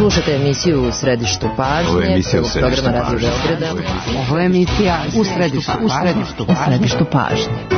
Slušate emisiju U središtu pažnje, programa Radio Beograda. Ovo je emisija U središtu pažnje.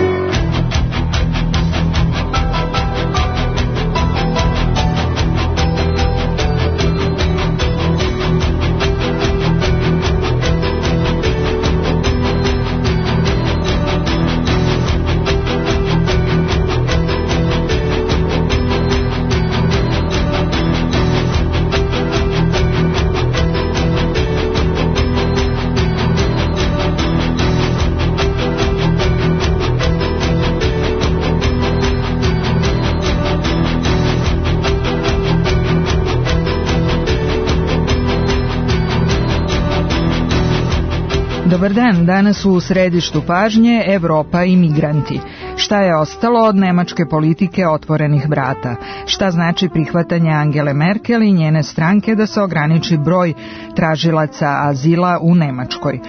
Dobar dan, danas u središtu pažnje Evropa i migranti. Šta je ostalo od nemačke politike otvorenih vrata? Šta znači prihvatanje Angele Merkel i njene stranke da se ograniči broj tražilaca azila u Nemačkoj?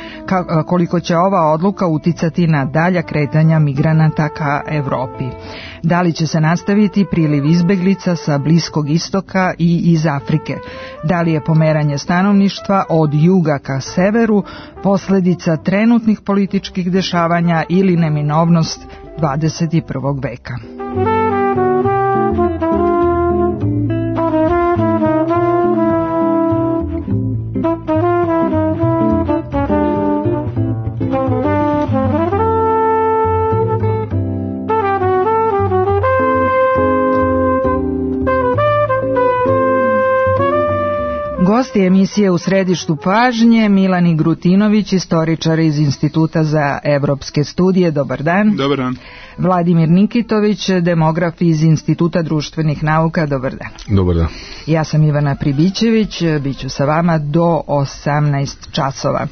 Koliko će ova odluka uticati na dalja kretanja migranata ka Evropi? Da li će se nastaviti priliv izbeglica sa Bliskog istoka i iz Afrike? Da li je pomeranje stanovništva od juga ka severu posljedica trenutnih političkih dešavanja ili neminovnost 21. veka? Gosti emisije U središtu pažnje Milani Grutinović, istoričar iz Instituta za evropske studije. Dobar dan. Dobar dan. Vladimir Nikitović, demograf iz Instituta društvenih nauka. Dobar dan. Dobar dan. Ja sam Ivana Pribićević, bit ću sa vama do 18 časova.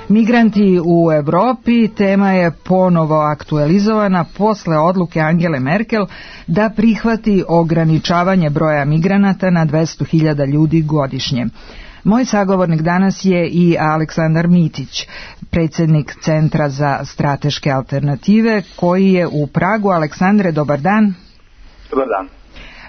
Migranti u Evropi tema je ponovo aktualizovana posle odluke Angele Merkel da prihvati ograničavanje broja migranata na 200.000 ljudi godišnje. Moj sagovornik danas je i Aleksandar Mitić, predsjednik Centra za strateške alternative, koji je u Pragu. Aleksandre, dobar dan. Dobar dan.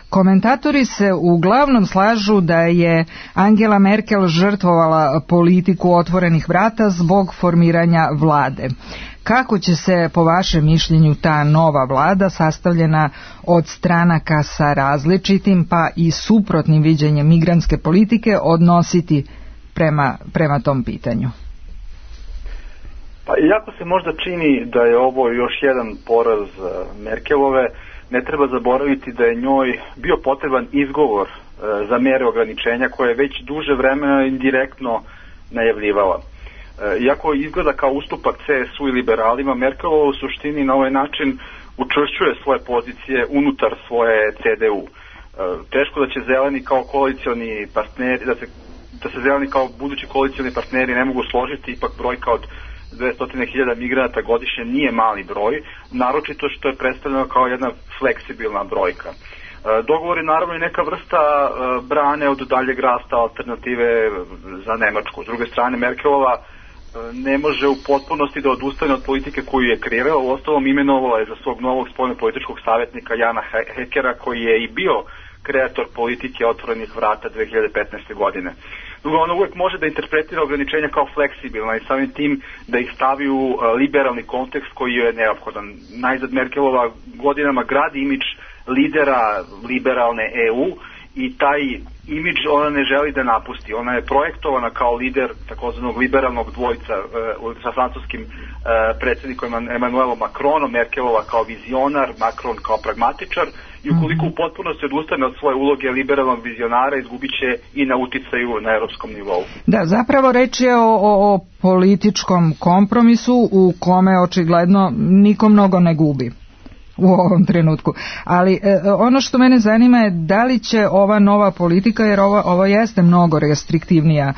Komentatori se uglavnom slažu da je Angela Merkel žrtvovala politiku otvorenih vrata zbog formiranja vlade. Kako će se, po vašem mišljenju, ta nova vlada, sastavljena od stranaka sa različitim pa i suprotnim viđenjem migrantske politike, odnositi prema tom pitanju? Pa iako se možda čini da je ovo još jedan poraz Merkelove, ne treba zaboraviti da je njoj bio potreban izgovor za mere ograničenja koje je već duže vremena indirektno najavljivala. Iako izgleda kao ustupak CSU i liberalima, Merkelova u suštini na ovaj način učvršćuje svoje pozicije unutar svoje CDU. Teško da će zeleni kao koalicioni partneri, da se zeleni kao budući koalicioni partneri ne mogu složiti, ipak brojka od 200.000 migranata godišnje nije mali broj, naročito što je predstavljeno kao jedna fleksibilna brojka. Dogovor je naravno i neka vrsta brane od daljeg rasta alternative za Nemačku. S druge strane, Merkelova ne može u potpunosti da odustane od politike koju je kreirala, uostalom imenovala je za svog novog spoljnopolitičkog savjetnika Jana Hekera, koji je i bio kreator politike otvorenih vrata 2015. godine. Drugo, ona uvijek može da interpretira ograničenja kao fleksibilna i samim tim da ih stavi u liberalni kontekst koji je neophodan. Najzad Merkelova godinama gradi imidž lidera liberalne EU i taj imidž ona ne želi da napusti. Ona je projektovana kao lider takozvanog liberalnog dvojca sa francuskim predsjednikom Emmanuelom Macronom, Merkelova kao vizionar, Macron kao pragmatičar, i ukoliko u potpunosti odustane od svoje uloge liberalnog vizionara, izgubit će i na uticaju na europskom nivou. Da, zapravo reč je o političkom kompromisu u kome očigledno niko mnogo ne gubi u ovom trenutku. Ali ono što mene zanima je da li će ova nova politika, jer ovo jeste mnogo restriktivnija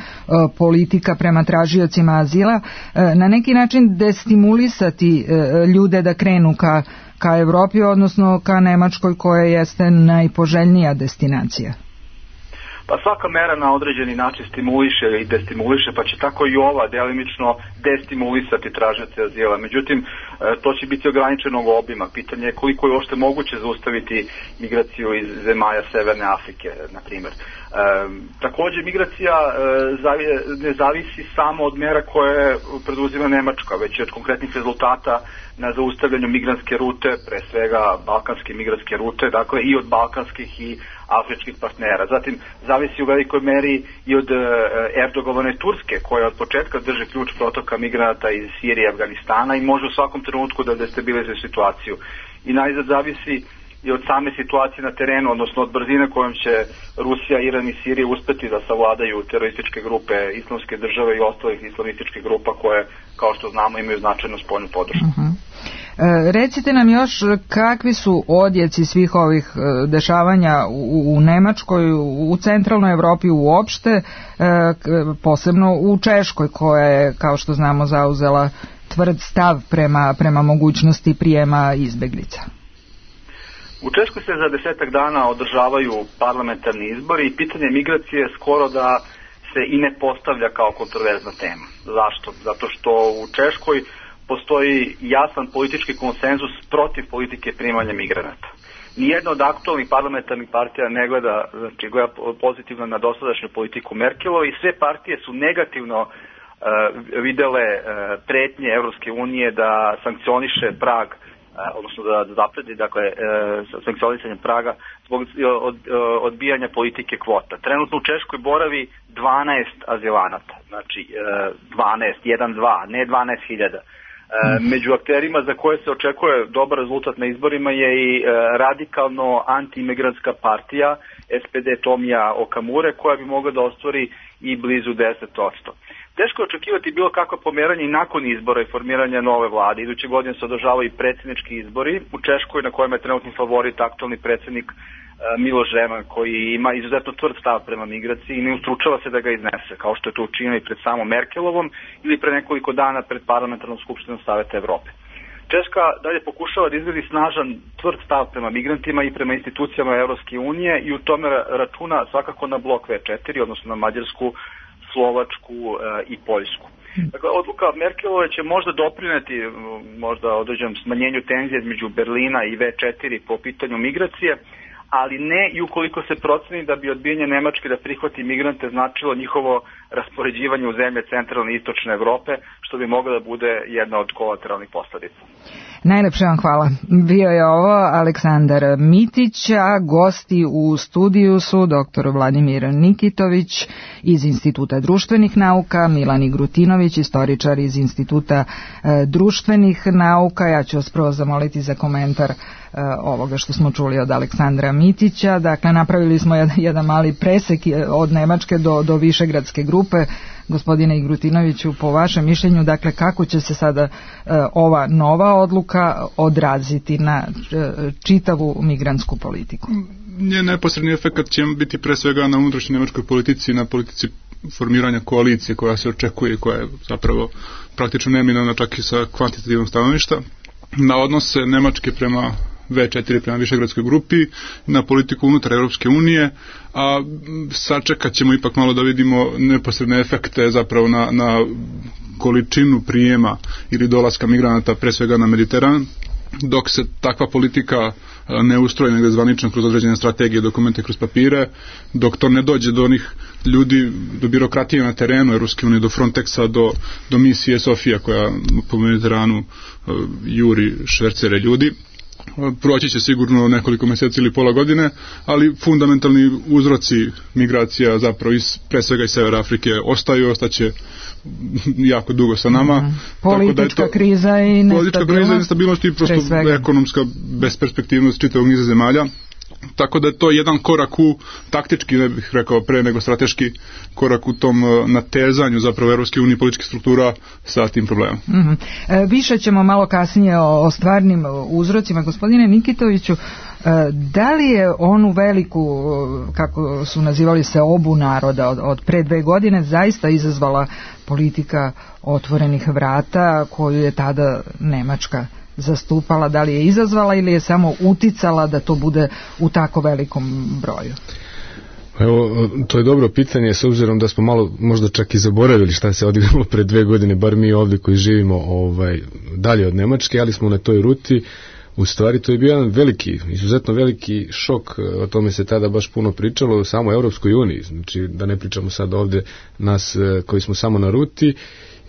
politika prema tražiocima azila, na neki način destimulisati ljude da krenu ka Evropi, odnosno ka Nemačkoj koja jeste najpoželjnija destinacija. Pa svaka mera na određeni način stimuliše i destimuliše, pa će tako i ova delimično destimulisati tražioce azila. Međutim, to će biti ograničenog obima. Pitanje je koliko je uopšte moguće zaustaviti migraciju iz zemalja Severne Afrike, na primjer. Također, migracija ne zavisi samo od mera koje preduzima Nemačka, već i od konkretnih rezultata na zaustavljanju migrantske rute, pre svega balkanske migrantske rute, dakle i od balkanskih i afričkih partnera. Zatim, zavisi u velikoj meri i od Erdogovane Turske, koja od početka drži ključ protoka migranata iz Sirije i Afganistana i može u svakom trenutku da destabilizuje situaciju. I najzad zavisi i od same situacije na terenu, odnosno od brzine kojom će Rusija, Iran i Sirija uspeti da savladaju terorističke grupe Islamske države i ostalih islamističkih grupa koje, kao što znamo, imaju značajnu spoljnu podršku. Recite nam još kakvi su odjeci svih ovih dešavanja u Nemačkoj, u centralnoj Evropi uopšte, posebno u Češkoj koja je, kao što znamo, zauzela tvrd stav prema mogućnosti prijema izbeglica. U Češkoj se za 10 dana održavaju parlamentarni izbori i pitanje migracije skoro da se i ne postavlja kao kontroverzna tema. Zašto? Zato što u Češkoj postoji jasan politički konsenzus protiv politike primanja migranata. Nijedna od aktualnih parlamentarnih partija ne gleda, znači gleda pozitivno na dosadašnju politiku Merkelove i sve partije su negativno videle pretnje Evropske unije da sankcioniše Prag, odnosno da zapredi, dakle, sankcionisanje Praga zbog odbijanja politike kvota. Trenutno u Češkoj boravi 12 azilanata, znači 12, ne 12.000. Među akterima za koje se očekuje dobar rezultat na izborima je i radikalno antiimigrantska partija SPD Tomija Okamure, koja bi mogla da ostvari i blizu 10%. Teško je očekivati bilo kakvo pomeranje i nakon izbora i formiranja nove vlade. Iduće godine se održavaju i predsjednički izbori u Češkoj, na kojima je trenutni favorit aktualni predsjednik Miloš Zeman, koji ima izuzetno tvrd stav prema migraciji i ne ustručava se da ga iznese, kao što je to učinio i pred samom Merkelovom ili pre nekoliko dana pred parlamentarnom skupštinom Saveta Evrope. Češka dalje pokušava da izgradi snažan tvrd stav prema migrantima i prema institucijama Evropske unije i u tome računa svakako na blok V4, odnosno na Mađarsku, Slovačku i Poljsku. Dakle, odluka Merkelove će možda doprineti možda određenom smanjenju tenzije između Berlina i V4 po pitanju migracije, ali ne i ukoliko se proceni da bi odbijanje Nemačke da prihvati migrante značilo njihovo raspoređivanje u zemlje centralne i istočne Evrope, što bi mogla da bude jedna od kolateralnih posledica. Najlepše vam hvala. Bio je ovo Aleksandar Mitić, a gosti u studiju su dr. Vladimir Nikitović iz Instituta društvenih nauka, Milan Igrutinović, istoričar iz Instituta društvenih nauka. Ja ću vas prvo zamoliti za komentar ovoga što smo čuli od Aleksandra Mitića. Dakle, napravili smo jedan mali presek od Nemačke do Višegradske grupe. Gospodine Igrutinoviću, po vašem mišljenju, dakle, kako će se sada ova nova odluka odraziti na čitavu migrantsku politiku? Njen neposredni efekt će biti pre svega na unutrašnjoj nemačkoj politici, na politici formiranja koalicije koja se očekuje, koja je zapravo praktično neminovna čak i sa kvantitativnog stanovišta, na odnose Nemačke prema V4 prema Višegradskoj grupi, na politiku unutar Europske unije, a sačekat ćemo ipak malo da vidimo neposredne efekte zapravo na količinu prijema ili dolaska migranata pre svega na Mediteran, dok se takva politika ne ustroji negde zvanično kroz određene strategije, dokumente, kroz papire, dok to ne dođe do onih ljudi, do birokratije na terenu Europske unije, do Frontexa, do misije Sofija koja po Mediteranu juri švercere ljudi. Proći će sigurno nekoliko mjeseci ili pola godine, ali fundamentalni uzroci migracija zapravo pre svega iz Severa Afrike ostaće jako dugo sa nama. Politička kriza i nestabilnost i prosto ekonomska besperspektivnost čitavog niza zemalja. Tako da je to jedan korak u, taktički ne bih rekao pre nego strateški korak u tom natezanju zapravo Evropske unije političkih struktura sa tim problemom. Više ćemo malo kasnije o stvarnim uzrocima. Gospodine Nikitoviću, da li je onu veliku, kako su nazivali se, obu naroda od pre 2 godine zaista izazvala politika otvorenih vrata koju je tada Nemačka zastupala? Da li je izazvala ili je samo uticala da to bude u tako velikom broju? Evo, to je dobro pitanje, s obzirom da smo malo možda čak i zaboravili šta se odigralo pre 2 godine, bar mi ovdje koji živimo dalje od Nemačke, ali smo na toj ruti. U stvari to je bio jedan veliki, izuzetno veliki šok, o tome se tada baš puno pričalo, samo u Europskoj uniji, znači da ne pričamo sad ovdje nas koji smo samo na ruti.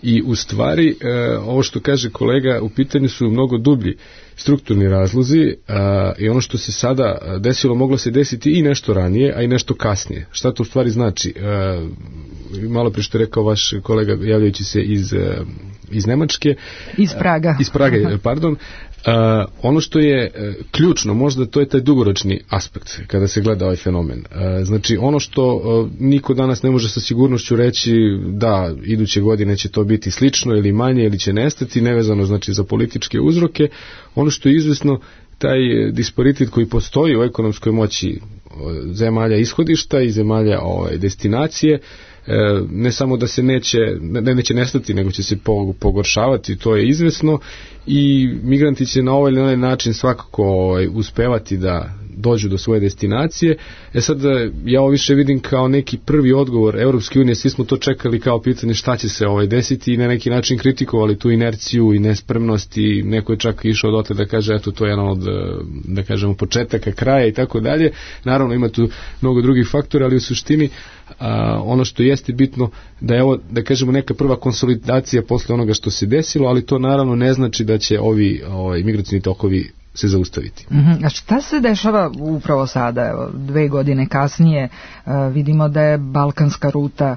I u stvari, ovo što kaže kolega, u pitanju su mnogo dublji strukturni razlozi i ono što se sada desilo moglo se desiti i nešto ranije, a i nešto kasnije. Šta to u stvari znači? Malo prije što je rekao vaš kolega javljajući se iz Nemačke. Iz Praga. Iz Praga, pardon. Ono što je ključno, možda to je taj dugoročni aspekt kada se gleda ovaj fenomen. Znači ono što niko danas ne može sa sigurnošću reći da iduće godine će to biti slično ili manje ili će nestati, nevezano znači za političke uzroke. Ono što je izvesno, taj disparitet koji postoji u ekonomskoj moći zemalja ishodišta i zemalja destinacije, ne samo da se neće nestati, nego će se pogoršavati, to je izvesno, i migranti će na ovaj ili onaj način svakako uspevati da dođu do svoje destinacije. Sad ja ovo više vidim kao neki prvi odgovor Europske unije, svi smo to čekali kao pitanje šta će se desiti i na neki način kritikovali tu inerciju i nespremnost, i neko je čak išao dotle da kaže eto to je jedan od, da kažemo, početaka kraja i tako dalje. Naravno ima tu mnogo drugih faktora, ali u suštini ono što jeste bitno da je ovo, da kažemo, neka prva konsolidacija posle onoga što se desilo, ali to naravno ne znači da će ovi migracioni tokovi se zaustaviti. A šta se dešava upravo sada? Evo, 2 godine kasnije vidimo da je balkanska ruta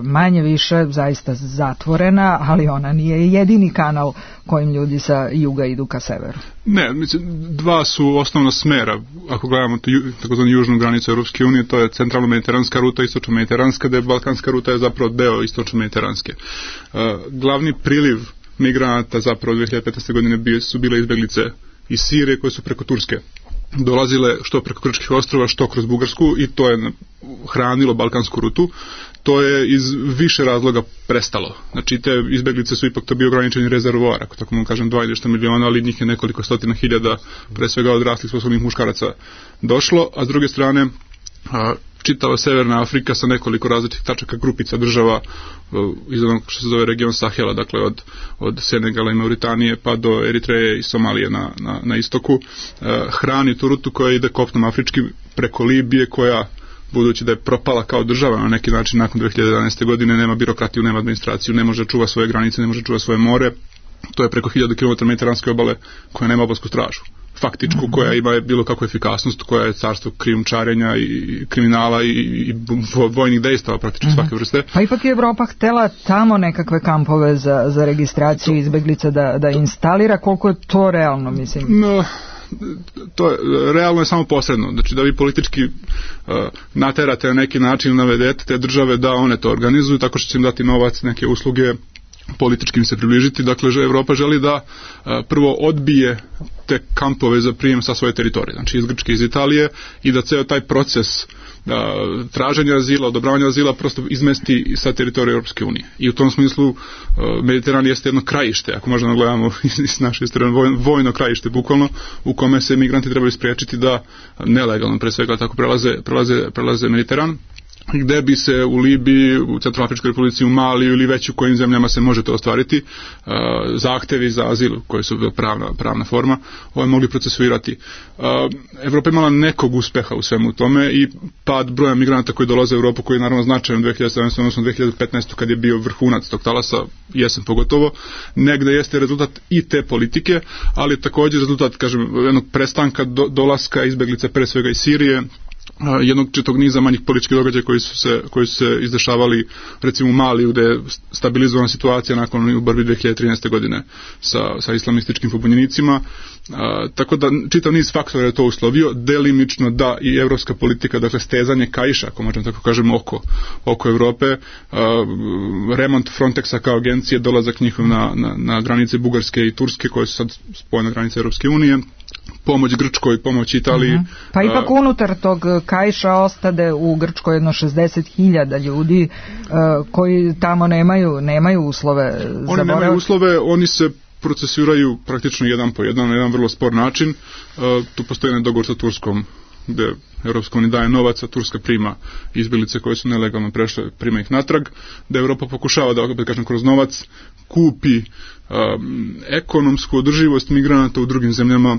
manje više zaista zatvorena, ali ona nije jedini kanal kojim ljudi sa juga idu ka severu. Ne, mislim, 2 su osnovna smera. Ako gledamo takozvanu južnu granicu Europske unije, to je centralno-mediteranska ruta, istočno-mediteranska, da je balkanska ruta je zapravo deo istočno-mediteranske. Glavni priliv migranata zapravo 2015. godine su bile izbeglice iz Sirije koje su preko Turske dolazile što preko Grčkih ostrova, što kroz Bugarsku, i to je hranilo balkansku rutu. To je iz više razloga prestalo. Znači te izbeglice su ipak to bio ograničeni rezervoar, ako tako mogu kažem 2 ili nešto miliona, ali njih je nekoliko stotina hiljada, pre svega odraslih sposobnih muškaraca došlo, a s druge strane čitava Severna Afrika sa nekoliko različitih tačaka, grupica država iz onog što se zove region Sahela, dakle od Senegala i Mauritanije pa do Eritreje i Somalije na istoku, hrani tu rutu koja ide kopnom afričkim preko Libije, koja, budući da je propala kao država na neki način nakon 2011. godine, nema birokratiju, nema administraciju, ne može čuva svoje granice, ne može čuva svoje more. To je preko 1000 km mediteranske obale koja nema obalsku stražu, faktičku, koja ima bilo kakvu efikasnost, koja je carstvo krijumčarenja i kriminala i vojnih dejstava praktično svake vrste. Pa ipak je Evropa htela tamo nekakve kampove za registraciju izbeglica da instalira. Koliko je to realno, mislim? No, to je realno je samo posredno. Znači da vi politički naterate na neki način, navedete te države da one to organizuju tako što će im dati novac, neke usluge, politički im se približiti. Dakle, Evropa želi da prvo odbije te kampove za prijem sa svoje teritorije, znači iz Grčke, iz Italije, i da ceo taj proces traženja azila, odobravanja azila prosto izmesti sa teritorije Europske unije. I u tom smislu Mediteran jeste jedno krajište, ako možemo gledamo iz naše strane, vojno krajište bukvalno, u kome se migranti trebaju spriječiti da nelegalno pre svega tako prelaze Mediteran, gde bi se u Libiji, u Centralnoafričkoj Republici, u Maliju ili već u kojim zemljama se može to ostvariti, zahtevi za azil, koji su pravna forma, mogli procesuirati. Evropa imala nekog uspeha u svemu tome i pad broja migranata koji dolaze u Evropu, koji je naravno značajan 2017. odnosno 2015. kad je bio vrhunac tog talasa, jesen pogotovo, negde jeste rezultat i te politike, ali također rezultat, kažem, jednog prestanka dolaska izbeglica pre svega iz Sirije, jednog četog niza manjih političkih događaja koji su se izdešavali recimo u Maliju, gde je stabilizovana situacija nakon borbi 2013. godine sa islamističkim pobunjenicima, tako da čitav niz faktora je to uslovio, delimično da i evropska politika, dakle stezanje kaiša, ako možemo tako kažemo, oko Evrope, remont Frontexa kao agencije, dolazak njihov na granice Bugarske i Turske, koje su sad spojene granice Europske unije, pomoć Grčkoj, pomoć Italiji. Pa ipak unutar tog kaiša ostade u Grčkoj jedno 60.000 ljudi koji tamo nemaju uslove. Oni nemaju uslove, oni se procesuiraju praktično jedan po jedan, na jedan vrlo spor način. Tu postoji jedan dogovor sa Turskom gde Evropska unija daje novac, a Turska prima izbjeglice koje su nelegalno prešle, prima ih natrag, da Evropa pokušava da, kažem, kroz novac kupi ekonomsku održivost migranata u drugim zemljama,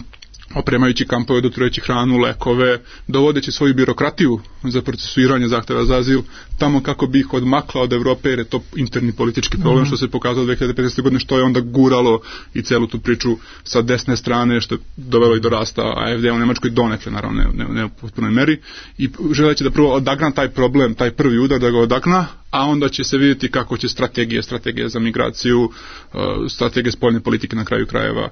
opremajući kampove, dotirajući hranu, lekove, dovodeći svoju birokratiju za procesuiranje zahteva za azil tamo kako bi ih odmakla od Evrope, jer je to interni politički problem, što se pokazalo 2015. godine, što je onda guralo i celu tu priču sa desne strane, što je dovelo i do rasta AfD-a u Nemačkoj, donekle, naravno, ne u potpunoj meri, i želeći da prvo odagna taj problem, taj prvi udar, da ga odagna, a onda će se vidjeti kako će strategija za migraciju, strategije spoljne politike na kraju krajeva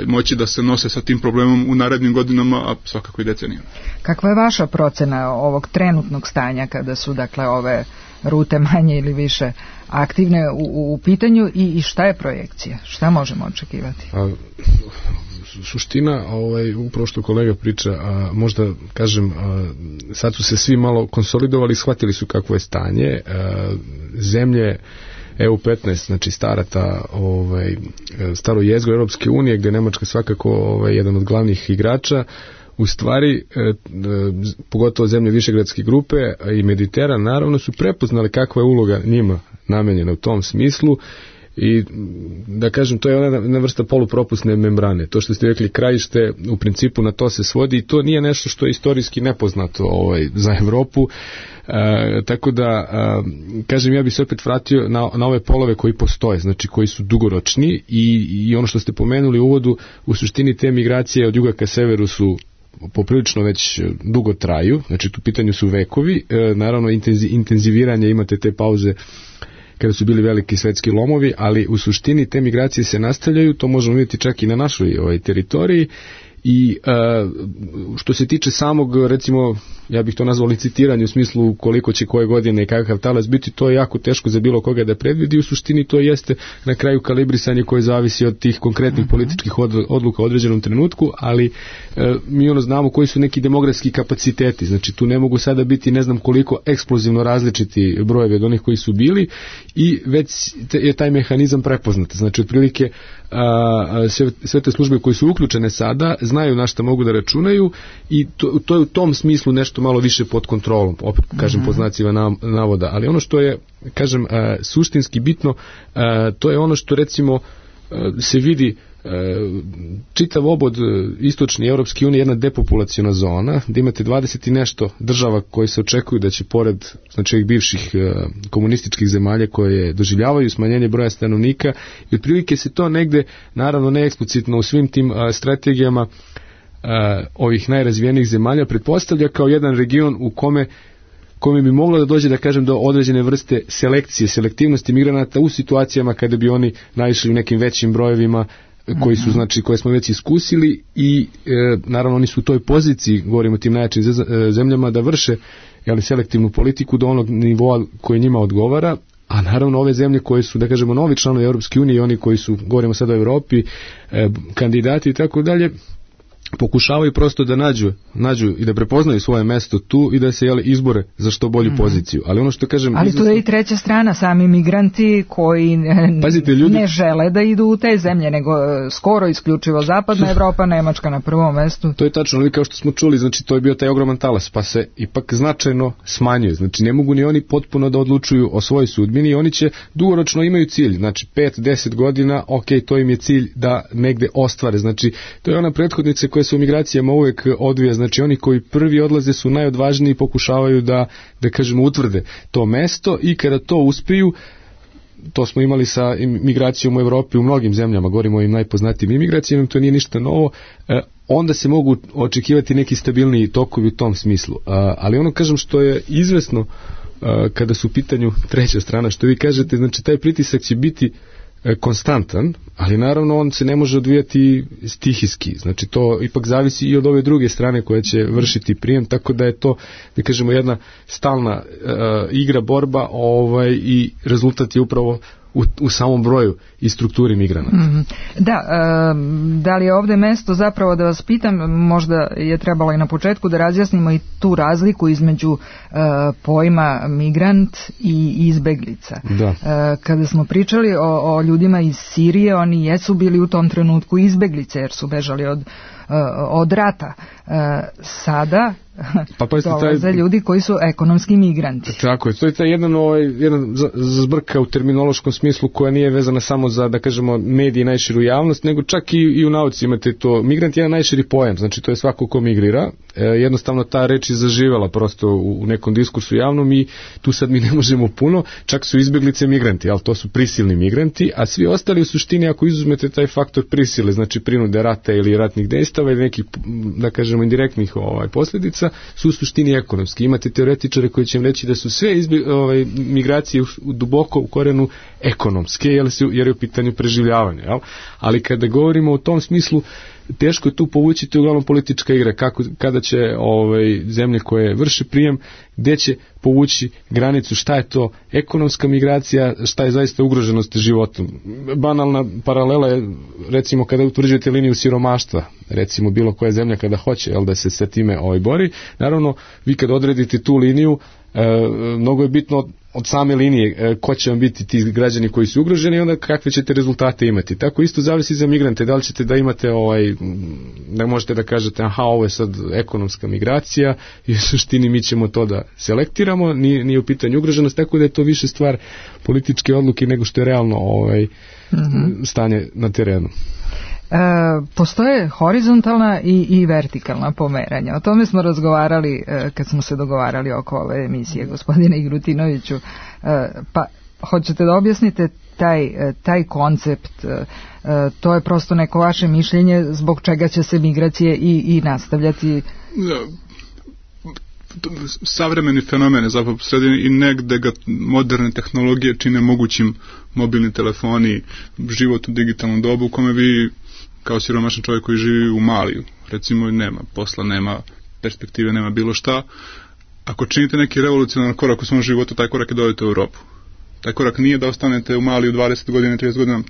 moći da se nose sa tim problemom u narednim godinama, a svakako i decenijama. Kakva je vaša procena ovog trenutnog stanja kada su, dakle, ove rute manje ili više aktivne u pitanju i šta je projekcija? Šta možemo očekivati? Suština, upravo što kolega priča, možda kažem, sad su se svi malo konsolidovali, shvatili su kakvo je stanje. Zemlje EU15, znači staro jezgro Europske unije, gdje je Nemačka svakako jedan od glavnih igrača, u stvari, pogotovo zemlje Višegradske grupe i Mediteran, naravno, su prepoznali kakva je uloga njima namenjena u tom smislu. I da kažem, to je jedna vrsta polupropusne membrane. To što ste rekli, krajište, u principu na to se svodi i to nije nešto što je istorijski nepoznato za Evropu. Tako da, kažem, ja bih se opet vratio na ove polove koji postoje, znači koji su dugoročni i ono što ste pomenuli u uvodu, u suštini te migracije od juga ka severu su poprilično već dugo traju, znači tu pitanju su vekovi, naravno intenziviranje, imate te pauze kada su bili veliki svetski lomovi, ali u suštini te migracije se nastavljaju, to možemo vidjeti čak i na našoj teritoriji. I što se tiče samog, recimo, ja bih to nazvao licitiranje u smislu koliko će koje godine i kakav talas biti, to je jako teško za bilo koga da predvidi. U suštini to jeste na kraju kalibrisanje koje zavisi od tih konkretnih političkih odluka u određenom trenutku, ali mi znamo koji su neki demografski kapaciteti, znači tu ne mogu sada biti ne znam koliko eksplozivno različiti brojevi od onih koji su bili i već je taj mehanizam prepoznat, znači otprilike sve te službe koje su uključene sada znaju na šta mogu da računaju i to je u tom smislu nešto malo više pod kontrolom, opet kažem pod znacima navoda, ali ono što je, kažem, suštinski bitno, to je ono što recimo se vidi čitav obod istočne Europske unije, jedna depopulaciona zona, gdje imate 20 i nešto država koje se očekuju da će pored, znači, ovih bivših komunističkih zemalja koje doživljavaju smanjenje broja stanovnika, i otprilike se to negde, naravno ne eksplicitno u svim tim strategijama ovih najrazvijenijih zemalja, pretpostavlja kao jedan region u kome bi moglo da dođe, da kažem, do određene vrste selektivnosti migranata u situacijama kada bi oni naišli u nekim većim brojevima koji su, znači, koje smo već iskusili i naravno oni su u toj poziciji, govorimo o tim najjačim zemljama, da vrše selektivnu politiku do onog nivoa koji njima odgovara, a naravno ove zemlje koje su, da kažemo, novi članovi Europske unije i oni koji su, govorimo sad o Europi, kandidati i tako dalje, pokušavaju prosto da nađu i da prepoznaju svoje mesto tu i da se izbore za što bolju poziciju. Ali ono što kažem... Ali tu je i treća strana, sami migranti koji ne žele da idu u te zemlje, nego skoro isključivo zapadna Evropa, Nemačka na prvom mestu. To je tačno, ali kao što smo čuli, znači to je bio taj ogroman talas, pa se ipak značajno smanjuje. Znači ne mogu ni oni potpuno da odlučuju o svojoj sudbini i oni će dugoročno imaju cilj, znači 5-10 godina, to im je cilj da negde ostvare. Znači to je ona prethodnica koja se u migracijama uvek odvija, znači oni koji prvi odlaze su najodvažniji i pokušavaju da kažemo, utvrde to mesto i kada to uspiju, to smo imali sa migracijom u Evropi u mnogim zemljama, govorimo o ovim najpoznatijim imigracijama, to nije ništa novo, onda se mogu očekivati neki stabilniji tokovi u tom smislu. Ali ono, kažem, što je izvesno kada su u pitanju treća strana, što vi kažete, znači taj pritisak će biti konstantan, ali naravno on se ne može odvijati stihijski, znači to ipak zavisi i od ove druge strane koja će vršiti prijem, tako da je to, da kažemo, jedna stalna igra, borba, i rezultat je upravo u samom broju i strukturi migranata. Da li je ovdje mesto, zapravo da vas pitam, možda je trebalo i na početku da razjasnimo i tu razliku između pojma migrant i izbeglica. Kada smo pričali o ljudima iz Sirije, oni jesu bili u tom trenutku izbeglice jer su bežali od rata. Sada pa dolaze ljudi koji su ekonomski migranti. Tako je, to je taj jedan zbrka u terminološkom smislu koja nije vezana samo za, da kažemo, mediji i najširu javnost, nego čak i u nauci imate to. Migrant je jedan najširi pojam, znači to je svako ko migrira. Jednostavno ta reč je zaživela prosto u nekom diskursu javnom i tu sad mi ne možemo puno, čak su izbjeglice migranti, ali to su prisilni migranti, a svi ostali u suštini, ako izuzmete taj faktor prisile, znači prinude rata ili ratnih dejstava ili nekih, da kažemo, indirektnih posljedica, su u suštini ekonomski. Imate teoretičare koji će im reći da su sve migracije duboko u korenu ekonomske, jer je u pitanju preživljavanja. Jel? Ali kada govorimo o tom smislu, teško je tu povući, to je uglavnom politička igra, kada će zemlje koje vrše prijem, gdje će povući granicu, šta je to ekonomska migracija, šta je zaista ugroženost životom. Banalna paralela je, recimo, kada utvrđujete liniju siromaštva, recimo bilo koja zemlja kada hoće da se sa time bori, naravno vi kad odredite tu liniju, mnogo je bitno od same linije ko će vam biti ti građani koji su ugroženi i onda kakve ćete rezultate imati. Tako isto zavisi za migrante, da li ćete da imate da možete da kažete ovo je sad ekonomska migracija i u suštini mi ćemo to da selektiramo, nije u pitanju ugroženost, tako da je to više stvar političke odluke nego što je realno stanje na terenu. Postoje horizontalna i vertikalna pomeranja. O tome smo razgovarali kad smo se dogovarali oko ove emisije, gospodine Igrutinoviću. Pa hoćete da objasnite taj koncept? To je prosto neko vaše mišljenje zbog čega će se migracije i nastavljati? Savremeni fenomene zapravo sredine i negde ga moderne tehnologije čine mogućim, mobilni telefoni, život u digitalnom dobu u kome vi kao siromašan čovjek koji živi u Maliju, recimo, nema posla, nema perspektive, nema bilo šta. Ako činite neki revolucionaran korak u svom životu, taj korak je dođete u Europu. Taj korak nije da ostanete u Maliju 20 godina, 30 godina,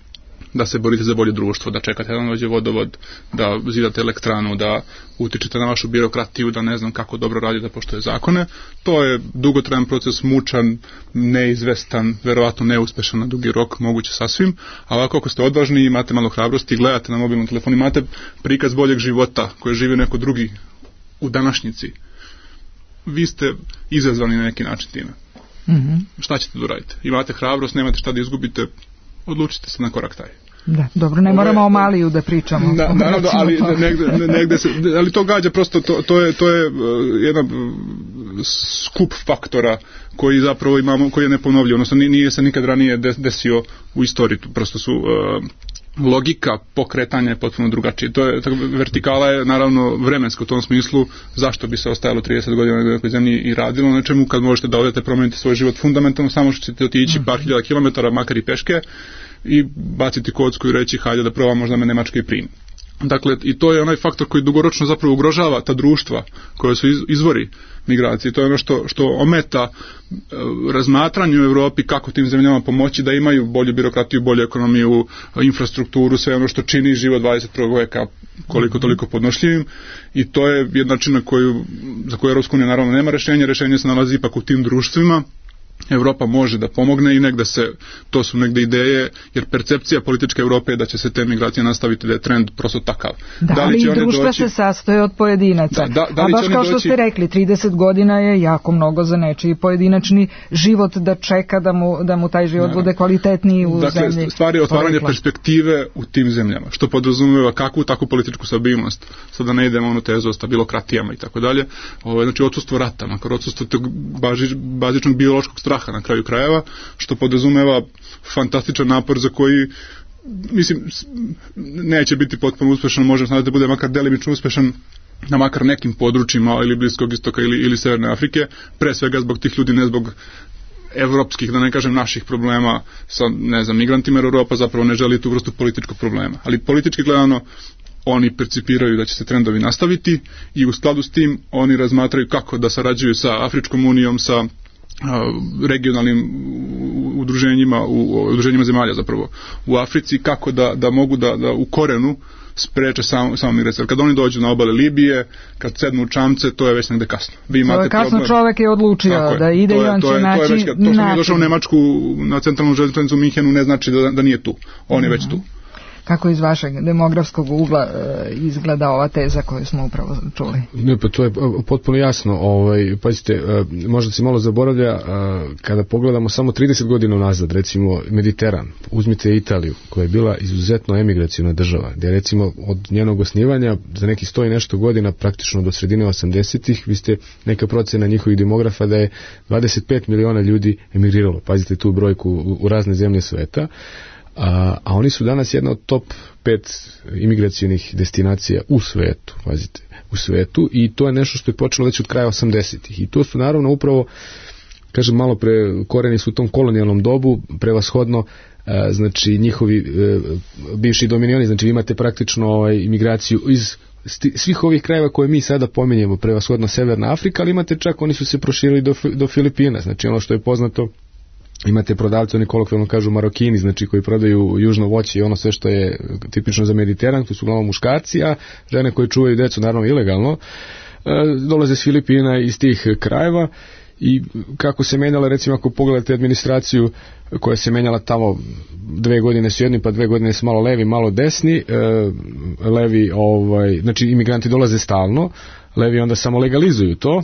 da se borite za bolje društvo, da čekate da dođe vodovod, da zidate elektranu, da utičete na vašu birokratiju, da ne znam kako dobro radi da poštuje zakone. To je dugotrajan proces, mučan, neizvestan, verovatno neuspešan na dugi rok, moguće sasvim, a ovako ako ste odvažni, imate malo hrabrosti, gledate na mobilnom telefonu, imate prikaz boljeg života koje živi neko drugi u današnjici, vi ste izazvani na neki način time. Šta ćete da uradite? Imate hrabrost, nemate šta da izgubite, odlučite se na korak taj. Da, dobro, ne moramo o Maliju da pričamo. Naravno, ali negde se, ali to gađa prosto, to je jedan skup faktora koji zapravo imamo, koji je neponovljiv, odnosno nije se nikad ranije desio u istoriji, prosto su logika pokretanja je potpuno drugačija. To je, vertikala je naravno vremenska u tom smislu, zašto bi se ostajalo 30 godina na nekoj zemlji i radilo na čemu, kad možete da odete promeniti svoj život fundamentalno, samo što ćete otići par hiljada kilometara, makar i peške, i baciti kocku i reći hajde da probam, možda me Nemačka i primi. Dakle, i to je onaj faktor koji dugoročno zapravo ugrožava ta društva koje su izvori migracije. To je ono što ometa razmatranju u Evropi kako tim zemljama pomoći da imaju bolju birokratiju, bolju ekonomiju, infrastrukturu, sve ono što čini život 21. veka koliko toliko podnošljivim, i to je jedna način za koju Evropska unija naravno nema rešenje se nalazi ipak u tim društvima. Evropa može da pomogne i to su negde ideje, jer percepcija političke Evrope je da će se te migracije nastaviti, da je trend prosto takav. Da, ali i društva se sastoje od pojedinaca. A baš kao što ste rekli, 30 godina je jako mnogo za nečiji pojedinačni život da čeka da mu taj život bude kvalitetniji u zemlji. Dakle, stvar je otvaranje perspektive u tim zemljama, što podrazumeva kakvu takvu političku stabilnost. Sada ne idemo onu tezu o stabilokratijama i tako dalje. Znači, odsustvo rata, makar odsustvo tog bazičnog biološkog straha na kraju krajeva, što podrazumeva fantastičan napor za koji, mislim, neće biti potpuno uspešan, može da bude makar delimično uspešan na makar nekim područjima ili Bliskog istoka ili Severne Afrike, pre svega zbog tih ljudi, ne zbog evropskih, da ne kažem naših problema sa, ne znam, migrantima, jer Europa zapravo ne želi tu vrstu političkog problema. Ali politički gledano, oni percipiraju da će se trendovi nastaviti i u skladu s tim oni razmatraju kako da sarađuju sa Afričkom unijom, sa regionalnim udruženjima zemalja zapravo u Africi, kako da mogu da u korenu spreče samo migracije. Kad oni dođu na obale Libije, kad sednu u čamce, to je već negde kasno. To je kasno, čovek je odlučio da ide i on će naći način. To što mi je došao u Nemačku na centralnu železnicu u Minhenu ne znači da nije tu. On je već tu. Kako iz vašeg demografskog ugla izgleda ova teza koju smo upravo čuli? Ne, pa to je potpuno jasno. Pazite, možda se malo zaboravlja, kada pogledamo samo 30 godina nazad, recimo Mediteran, uzmite Italiju, koja je bila izuzetno emigraciona država, gdje recimo od njenog osnivanja za neki 100 i nešto godina, praktično do sredine 80-ih, vi ste neka procena njihovih demografa da je 25 miliona ljudi emigriralo. Pazite tu brojku u razne zemlje sveta. A oni su danas jedna od top 5 imigracionih destinacija u svetu, pazite, u svetu, i to je nešto što je počelo već od kraja 80-ih. I to su naravno upravo, kažem, malo pre koreni su u tom kolonijalnom dobu, prevashodno znači njihovi bivši dominioni, znači vi imate praktično imigraciju iz svih ovih krajeva koje mi sada pominjemo, prevashodno Severna Afrika, ali imate čak, oni su se proširili do Filipina, znači ono što je poznato, imate prodavce, oni kolokvijalno kažu Marokini, znači koji prodaju južno voće i ono sve što je tipično za Mediteran, to su uglavnom muškarci, a žene koje čuvaju decu, naravno ilegalno, dolaze s Filipina iz tih krajeva. I kako se menjala, recimo ako pogledate administraciju koja se menjala tamo, 2 godine su jedni, pa 2 godine su malo levi, malo desni, levi, znači imigranti dolaze stalno, levi onda samo legalizuju to.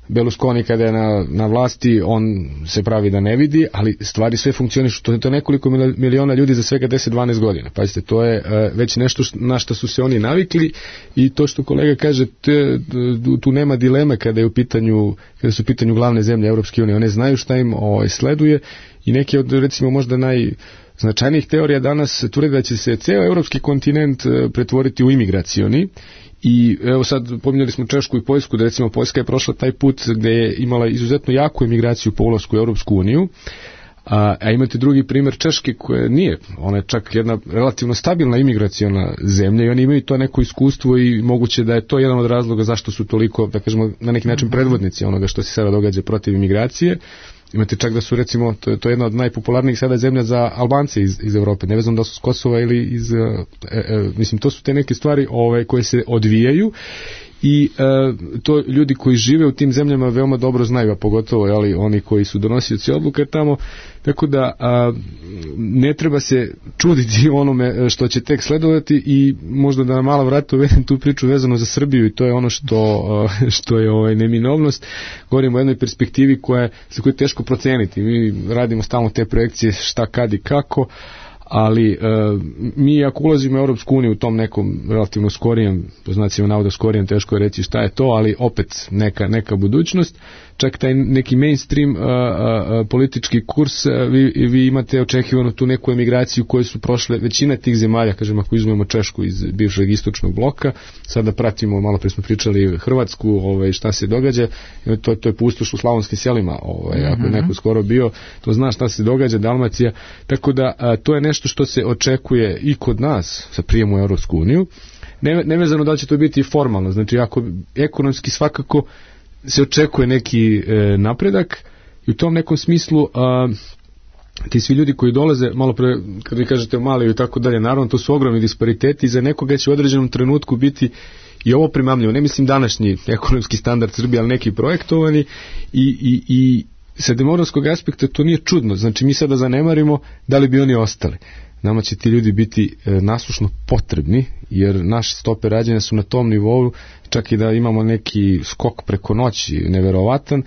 Berlusconi kada je na vlasti, on se pravi da ne vidi, ali stvari sve funkcionišu. To je nekoliko miliona ljudi za svega 10-12 godina. Pazite, to je već nešto na što su se oni navikli, i to što kolega kaže, tu nema dileme kada su u pitanju glavne zemlje Europske unije. One znaju šta im sleduje, i neke od, recimo, možda najznačajnijih teorija danas tvrde da će se ceo europski kontinent pretvoriti u imigracioni. I evo sad pominjali smo Češku i Poljsku, da recimo Poljska je prošla taj put gde je imala izuzetno jaku emigraciju po ulasku u Europsku uniju, a imate drugi primjer Češke koja nije, ona je čak jedna relativno stabilna imigraciona zemlja i oni imaju to neko iskustvo i moguće da je to jedan od razloga zašto su toliko, da kažemo, na neki način predvodnici onoga što se sada događa protiv imigracije. Imate čak da su, recimo, to je jedna od najpopularnijih sada zemlja za Albance iz Europe, nevezano da su s Kosova ili iz, mislim, to su te neke stvari koje se odvijaju, i to ljudi koji žive u tim zemljama veoma dobro znaju, a pogotovo oni koji su donosioci odluke tamo, tako da ne treba se čuditi onome što će tek sledovati, i možda da na malo vrata uvedem tu priču vezano za Srbiju, i to je ono što je neminovnost. Govorimo o jednoj perspektivi za koju je teško proceniti. Mi radimo stalno te projekcije šta, kad i kako, ali mi ako ulazimo u Europsku uniju u tom nekom relativno skorijem, po znacima navoda skorijem, teško je reći šta je to, ali opet neka budućnost, čak taj neki mainstream politički kurs, vi imate očekivano tu neku emigraciju koju su prošle većina tih zemalja, kažem, ako izmemo Češku iz bivšeg istočnog bloka, sada pratimo, malo pre smo pričali Hrvatsku, šta se događa, to je pustoš u slavonskim selima, ako je neko skoro bio, to zna šta se događa, Dalmacija, tako da to je nešto što se očekuje i kod nas sa prijemom u Europsku uniju, nevezano da će to biti formalno, znači ako ekonomski svakako se očekuje neki napredak, i u tom nekom smislu ti svi ljudi koji dolaze, malo pre, kad vi kažete mali i tako dalje, naravno to su ogromni dispariteti, i za nekoga će u određenom trenutku biti i ovo primamljivo, ne mislim današnji ekonomski standard Srbije, ali neki projektovani, i sa demografskog aspekta to nije čudno, znači mi sada zanemarimo da li bi oni ostali. Nama će ti ljudi biti nasušno potrebni, jer naše stope rađanja su na tom nivou, čak i da imamo neki skok preko noći neverovatan,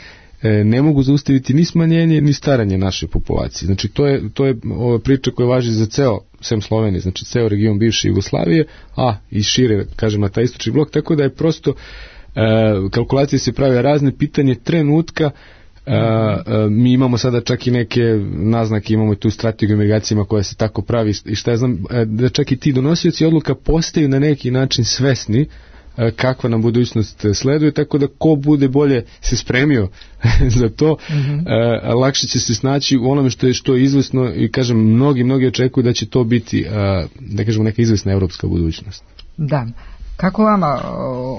ne mogu zaustaviti ni smanjenje ni staranje naše populacije. Znači to je priča koja važi za ceo, sem Slovenije, znači ceo region bivše Jugoslavije, a i šire, kažem, na taj istočni blok, tako da je prosto kalkulacije se prave razne, pitanje trenutka. Mi imamo sada čak i neke naznake, imamo i tu strategiju emigracijama koja se tako pravi, i šta ja znam, da čak i ti donosioci odluka postaju na neki način svesni kakva nam budućnost sleduje, tako da ko bude bolje se spremio za to, lakše će se snaći u onome što je izvesno, i kažem, mnogi očekuju da će to biti, da kažemo, neka izvesna evropska budućnost. Da. Kako vama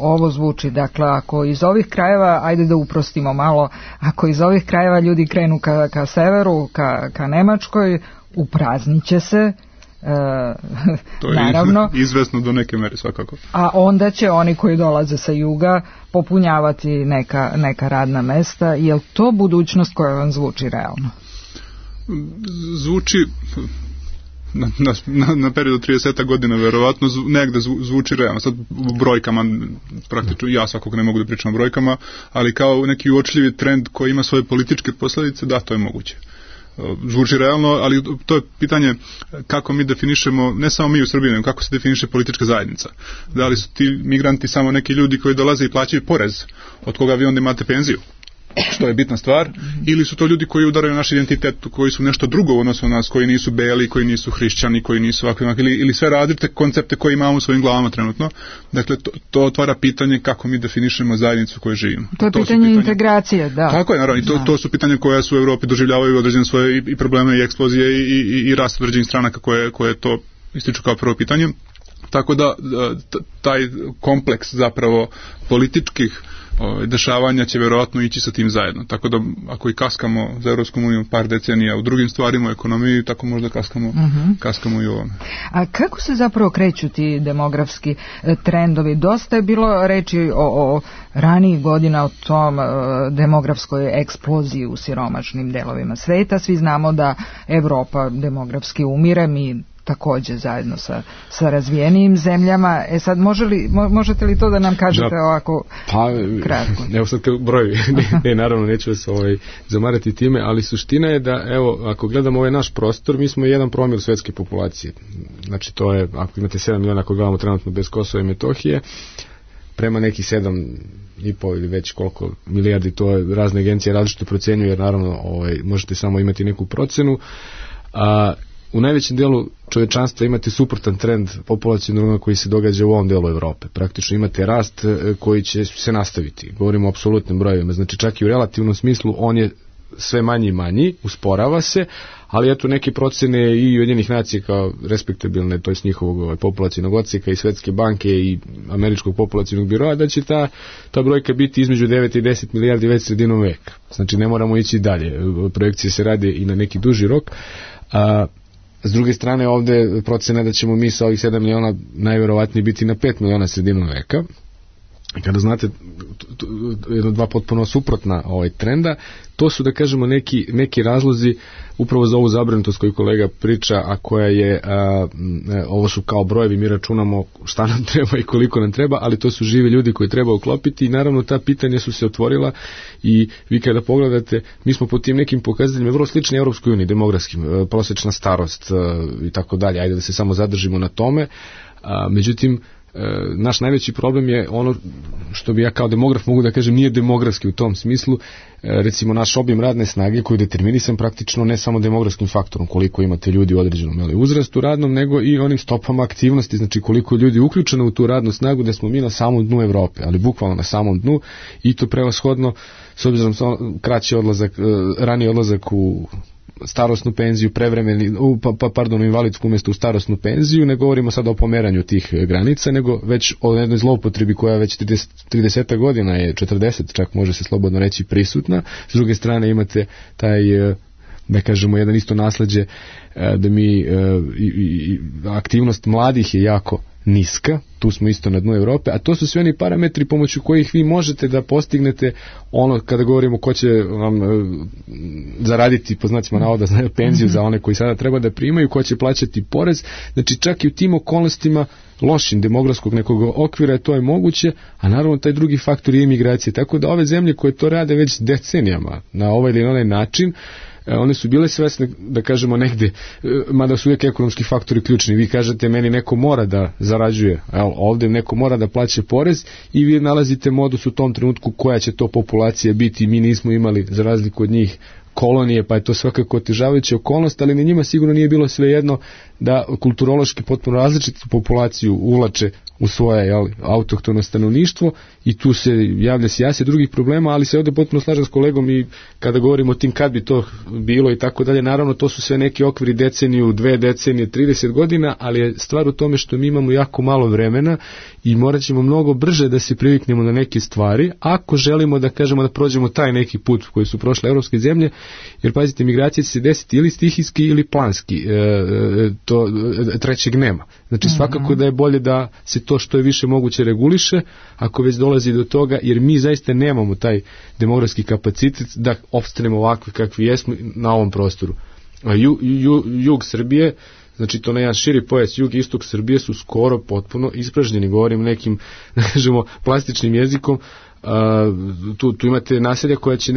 ovo zvuči? Dakle, ako iz ovih krajeva, ajde da uprostimo malo, ako iz ovih krajeva ljudi krenu ka severu, ka Nemačkoj, upraznit će se, to je naravno, izvesno do neke mere svakako. A onda će oni koji dolaze sa juga popunjavati neka radna mesta. Je li to budućnost koja vam zvuči realno? Zvuči na periodu 30 godina verovatno negde zvuči realno. Sad brojkama, praktično ja svakog ne mogu da pričam o brojkama, ali kao neki uočljivi trend koji ima svoje političke posledice, da, to je moguće. Zvuči realno, ali to je pitanje kako mi definišemo, ne samo mi u Srbiji, nego kako se definiše politička zajednica. Da li su ti migranti samo neki ljudi koji dolaze i plaćaju porez, od koga vi onda imate penziju, što je bitna stvar, ili su to ljudi koji udaraju naš identitet, koji su nešto drugo u odnosu na nas, koji nisu beli, koji nisu hrišćani, koji nisu ovakvi, ili sve različite koncepte koje imamo u svojim glavama trenutno. Dakle, to otvara pitanje kako mi definišemo zajednicu u kojoj živimo. To je pitanje integracije, da. Tako je, naravno, i to su pitanja koja su u Evropi doživljavaju određene svoje i probleme i eksplozije i rast određenih stranaka koje to ističu kao prvo pitanje. Tako da taj kompleks zapravo političkih dešavanja će verovatno ići sa tim zajedno. Tako da ako i kaskamo za Evropskom unijom par decenija u drugim stvarima, u ekonomiji, tako možda kaskamo i u ovome. A kako se zapravo kreću ti demografski trendovi? Dosta je bilo reči o ranijih godina o tom demografskoj eksploziji u siromašnim delovima sveta. Svi znamo da Evropa demografski umire, mi takođe zajedno sa razvijenijim zemljama. Sad, možete li to da nam kažete ovako kratko? Evo sad kao brojevi, ne, naravno neću vas zamarati time, ali suština je da, evo, ako gledamo ovaj naš prostor, mi smo 1 promil svetske populacije. Znači, to je, ako imate 7 miliona, ako gledamo trenutno bez Kosova i Metohije, prema neki 7,5 ili već koliko milijardi, to je razne agencije različito procenjuju, jer naravno možete samo imati neku procenu. U najvećem delu čovečanstva imate suprotan trend populacionalnog koji se događa u ovom delu Evrope. Praktično imate rast koji će se nastaviti. Govorimo o apsolutnim brojevima. Znači čak i u relativnom smislu on je sve manji i manji, usporava se, ali eto neke procene i Ujedinjenih nacija kao respektabilne, to je njihovog populacionog odseka i Svetske banke i Američkog populacionog biroa, da će ta brojka biti između 9 i 10 milijardi već sredinom veka. Znači ne moramo ići dalje. Projekcije se rade i na neki duži rok. S druge strane, ovde procena da ćemo mi sa ovih 7 miliona najverovatnije biti na 5 miliona sredinom veka. Kada znate dva potpuno suprotna trenda, to su, da kažemo, neki razlozi upravo za ovu zabrinutost koju kolega priča, a koja je, ovo su kao brojevi, mi računamo šta nam treba i koliko nam treba, ali to su živi ljudi koji treba uklopiti i naravno ta pitanja su se otvorila i vi kada pogledate, mi smo po tim nekim pokazateljima vrlo slični Evropskoj uniji, demografskim, prosečna starost i tako dalje, ajde da se samo zadržimo na tome, međutim, naš najveći problem je ono što bi ja kao demograf mogu da kažem nije demografski u tom smislu, recimo naš obim radne snage koji je determinisan praktično ne samo demografskim faktorom koliko imate ljudi u određenom uzrastu radnom, nego i onim stopama aktivnosti, znači koliko ljudi uključeno u tu radnu snagu, da smo mi na samom dnu Evrope, ali bukvalno na samom dnu i to prevashodno s obzirom kraći odlazak, raniji odlazak u starosnu penziju, invalidsku umjesto u starosnu penziju, ne govorimo sad o pomeranju tih granica, nego već o jednoj zloupotrebi koja već 30 godina je, 40 čak može se slobodno reći prisutna. S druge strane imate taj, da kažemo, jedan isto nasleđe da mi aktivnost mladih je jako niska, tu smo isto na dnu Evrope, a to su sve oni parametri pomoću kojih vi možete da postignete ono kada govorimo ko će vam zaraditi, po znacima navoda, penziju za one koji sada treba da primaju, ko će plaćati porez, znači čak i u tim okolnostima lošim demografskog nekog okvira to je moguće, a naravno taj drugi faktor je imigracija, tako da ove zemlje koje to rade već decenijama na ovaj ili onaj način, one su bile svesne, da kažemo, negde, mada su uvijek ekonomski faktori ključni. Vi kažete, meni neko mora da zarađuje, ovdje neko mora da plaća porez i vi nalazite modus u tom trenutku koja će to populacija biti. Mi nismo imali, za razliku od njih, kolonije, pa je to svakako otežavajuća okolnost, ali na njima sigurno nije bilo svejedno da kulturološki potpuno različitu populaciju uvlače u svoje autohtono stanovništvo i tu se javlja sjase drugih problema, ali se ovdje potpuno slažem s kolegom i kada govorimo o tim kad bi to bilo i tako dalje, naravno to su sve neki okviri deceniju, 2 decenije, 30 godina, ali je stvar u tome što mi imamo jako malo vremena i morat ćemo mnogo brže da se priviknemo na neke stvari, ako želimo da kažemo da prođemo taj neki put koji su prošle evropske zemlje, jer pazite, migracija će se desiti ili stihijski ili planski, to trećeg nema. Znači svakako da je bolje da se to što je više moguće reguliše, ako već dolazi do toga, jer mi zaista nemamo taj demografski kapacitet da opstanemo ovakvi kakvi jesmo na ovom prostoru. Jug Srbije, Znači to na jedan širi pojas jug i istok Srbije su skoro potpuno ispražnjeni, govorim nekim, da kažemo, plastičnim jezikom. Tu imate naselja koja će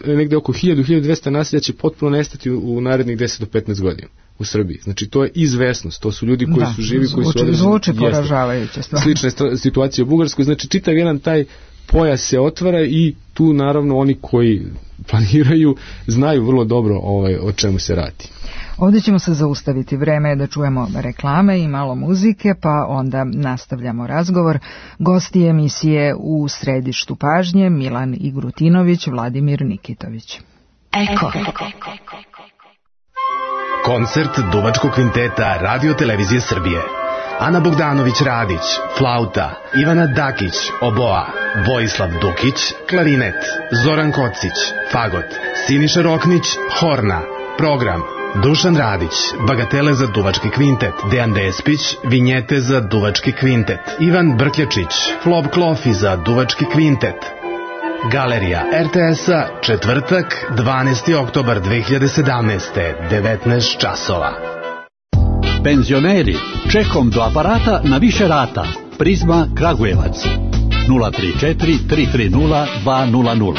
negde oko 1000-1200 naselja će potpuno nestati u narednih 10 do 15 godina u Srbiji. Znači to je izvesnost, to su ljudi koji su živi, koji su određeni. Zvuči poražavajuće stvar. Slična situacija u Bugarskoj, znači čitav jedan taj pojas se otvara i tu naravno oni koji planiraju znaju vrlo dobro o čemu se radi. Ovdje ćemo se zaustaviti, vreme je da čujemo reklame i malo muzike, pa onda nastavljamo razgovor. Gosti emisije u središtu pažnje Milan Igrutinović, Vladimir Nikitović. Eko. Koncert Duvačkog kvinteta Radio Televizije Srbije. Ana Bogdanović Radić, flauta, Ivana Dakić, oboa, Vojislav Dukić, klarinet, Zoran Kocić, fagot, Siniša Roknić, horna. Program: Dušan Radić, bagatele za Duvački kvintet, Dejan Despić, vinjete za Duvački kvintet, Ivan Brkljačić, flop klofi za Duvački kvintet. Galerija RTS-a, četvrtak, 12. oktobar 2017. 19 časova. Penzioneri, čekom do aparata na više rata. Prizma Kragujevac 034 330 200.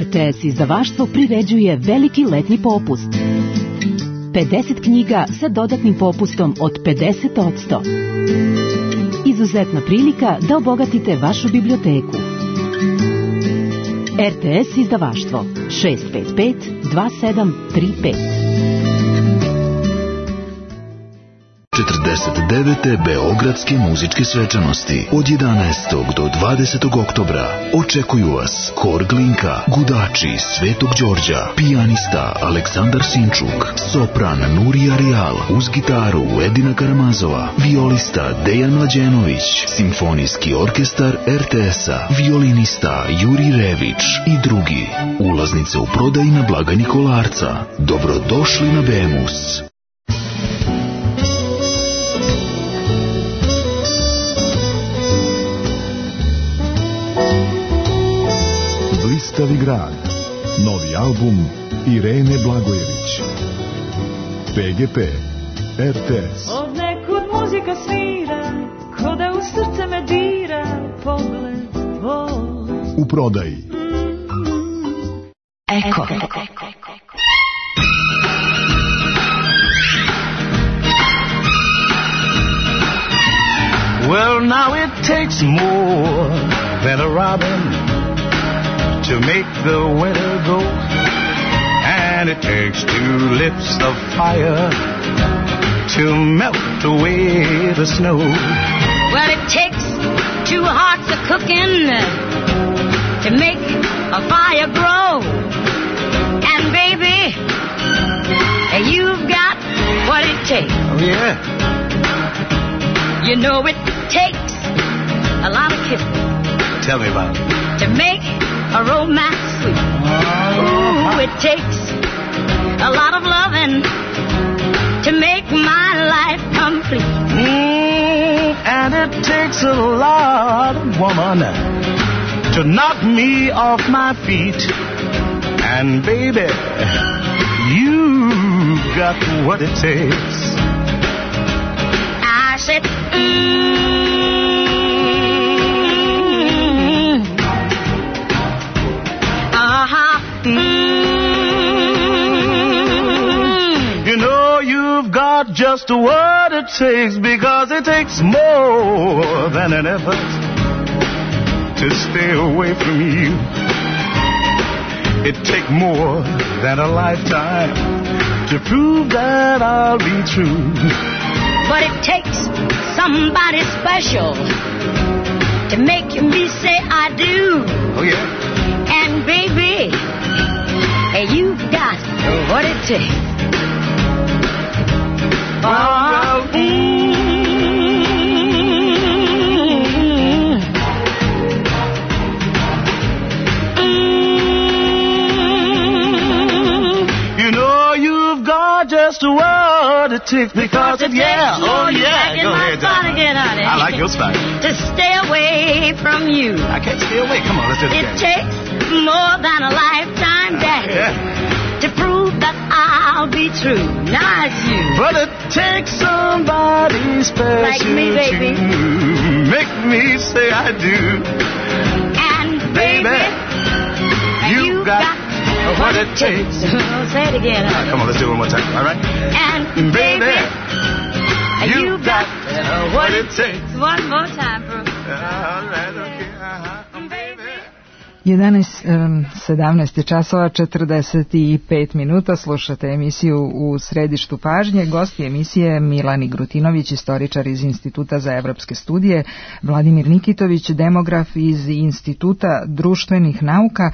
RTS izdavaštvo priređuje veliki letnji popust. 50 knjiga sa dodatnim popustom od 50%. Izuzetna prilika da obogatite vašu biblioteku. RTS izdavaštvo 655 2735. 49. Beogradske muzičke svečanosti od 11. do 20. oktobra očekuju vas Hor Glinka, Gudači Svetog Đorđa, pijanista Aleksandar Sinčuk, sopran Nurija Rijal, uz gitaru Edina Karamazova, violista Dejan Mlađenović, simfonijski orkestar RTS-a, violinista Juri Rević i drugi. Ulaznice u prodaji na blagajni Kolarca. Dobrodošli na Bemus. Blistavi grad. Novi album Irene Blagojević. PGP RTS. Od nekud muzika svira, ko da u srce me dira pogled tvoj. U prodaji. Eko. Well, now it takes more than a robin to make the winter go, and it takes two lips of fire to melt away the snow. Well, it takes two hearts of cooking to make a fire grow, and baby, you've got what it takes. Oh, yeah. You know it takes a lot of kissing. Tell me about it. To make a romance sweet. Ooh, it takes a lot of loving to make my life complete. And it takes a lot of woman to knock me off my feet. And baby, you've got what it takes. I said, You know you've got just what it takes, because it takes more than an effort to stay away from you. It takes more than a lifetime to prove that I'll be true. But it takes somebody special to make me say I do. Oh, yeah. And baby, you've got what it takes. Well, You know you've got just what what it takes because it, yeah, oh yeah, go ahead, again, honey. I like your style. To stay away from you. I can't stay away. Come on, let's do it again. It takes more than a lifetime, Daddy, to prove that I'll be true. Now it's you. But it takes somebody special like me, baby, to make me say I do. And baby, you got what it takes. Say it again. Right, come on, let's do it one more time. All right. And baby, you got what it takes. One more time, bro. All right, okay. Baby. 17 časova 45 minuta, slušate emisiju U središtu pažnje. Gosti emisije Milani Grutinović, istoričar iz Instituta za evropske studije, Vladimir Nikitović, demograf iz Instituta društvenih nauka.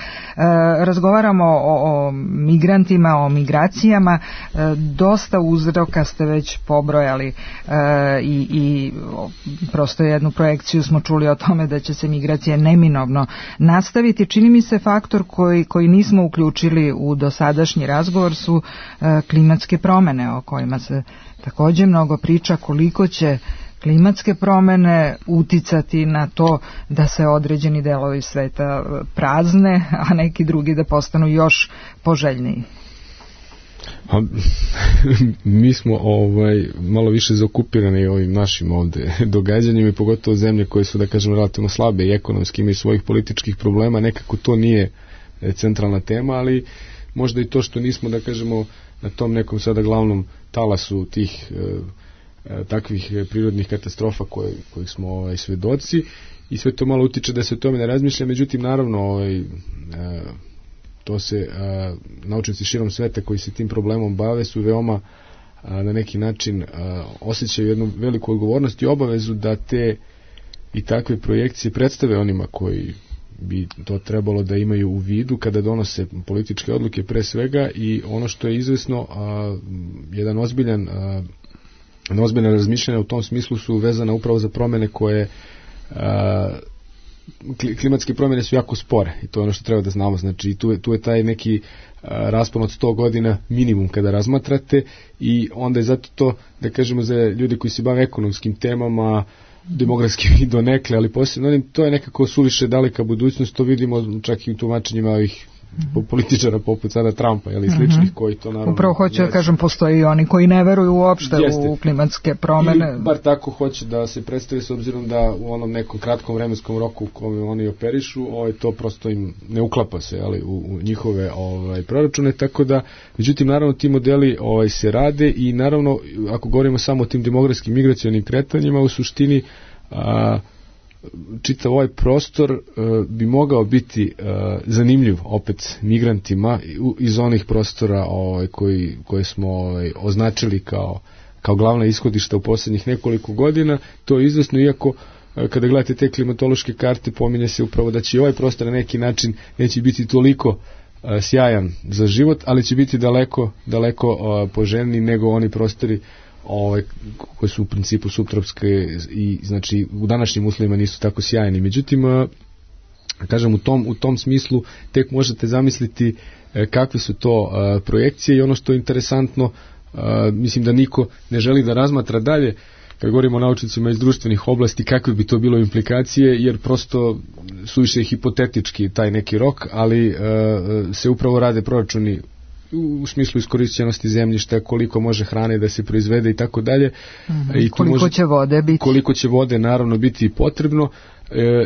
Razgovaramo o migrantima, o migracijama. Dosta uzroka ste već pobrojali i prosto jednu projekciju smo čuli o tome da će se migracije neminovno nastaviti. Čini mi se faktor koji nismo uključili u dosadašnji razgovor su klimatske promene, o kojima se također mnogo priča, koliko će klimatske promene uticati na to da se određeni delovi sveta prazne, a neki drugi da postanu još poželjniji. Mi smo malo više zaokupirani ovim našim ovde događanjima i pogotovo zemlje koje su, da kažem, relativno slabe i ekonomski imaju svojih političkih problema, nekako to nije centralna tema, ali možda i to što nismo, da kažemo, na tom nekom sada glavnom talasu tih takvih prirodnih katastrofa kojih smo svedoci i sve to malo utiče da se o tome ne razmišlja. Međutim, naravno, to se naučnici širom sveta koji se tim problemom bave su veoma na neki način osjećaju jednu veliku odgovornost i obavezu da te i takve projekcije predstave onima koji bi to trebalo da imaju u vidu kada donose političke odluke pre svega. I ono što je izvesno, jedan ozbiljan razmišljanja u tom smislu su vezana upravo za promene koje klimatske promjene su jako spore i to je ono što treba da znamo. Znači tu je taj neki raspon od 100 godina minimum kada razmatrate i onda je zato to, da kažemo, za ljudi koji se bave ekonomskim temama, demografskim i donekle, ali posebno to je nekako suviše daleka budućnost. To vidimo čak i u tumačenjima ovih političara poput sada Trumpa ili sličnih koji to naravno... Upravo hoću da kažem, postoji i oni koji ne veruju uopšte u klimatske promene. Ili bar tako hoće da se predstavi, s obzirom da u onom nekom kratkom vremenskom roku u kome oni operišu, to prosto im ne uklapa se u njihove proračune, tako da, međutim, naravno ti modeli se rade i naravno, ako govorimo samo o tim demografskim migracionim kretanjima, u suštini čitav ovaj prostor bi mogao biti zanimljiv opet migrantima iz onih prostora koje smo označili kao glavna ishodišta u posljednjih nekoliko godina. To je izvesno, iako kada gledate te klimatološke karte pominje se upravo da će i ovaj prostor na neki način neće biti toliko sjajan za život, ali će biti daleko poželjniji nego oni prostori koji su u principu subtropske i znači u današnjim uslovima nisu tako sjajni. Međutim, kažem, u tom smislu tek možete zamisliti kakve su to projekcije i ono što je interesantno, mislim da niko ne želi da razmatra dalje kad govorimo o naučnicima iz društvenih oblasti kakve bi to bilo implikacije, jer prosto suviše je hipotetički taj neki rok, ali se upravo rade proračuni u smislu iskorišćenosti zemljišta, koliko može hrane da se proizvede i tako dalje. I koliko će vode biti. Koliko će vode naravno biti potrebno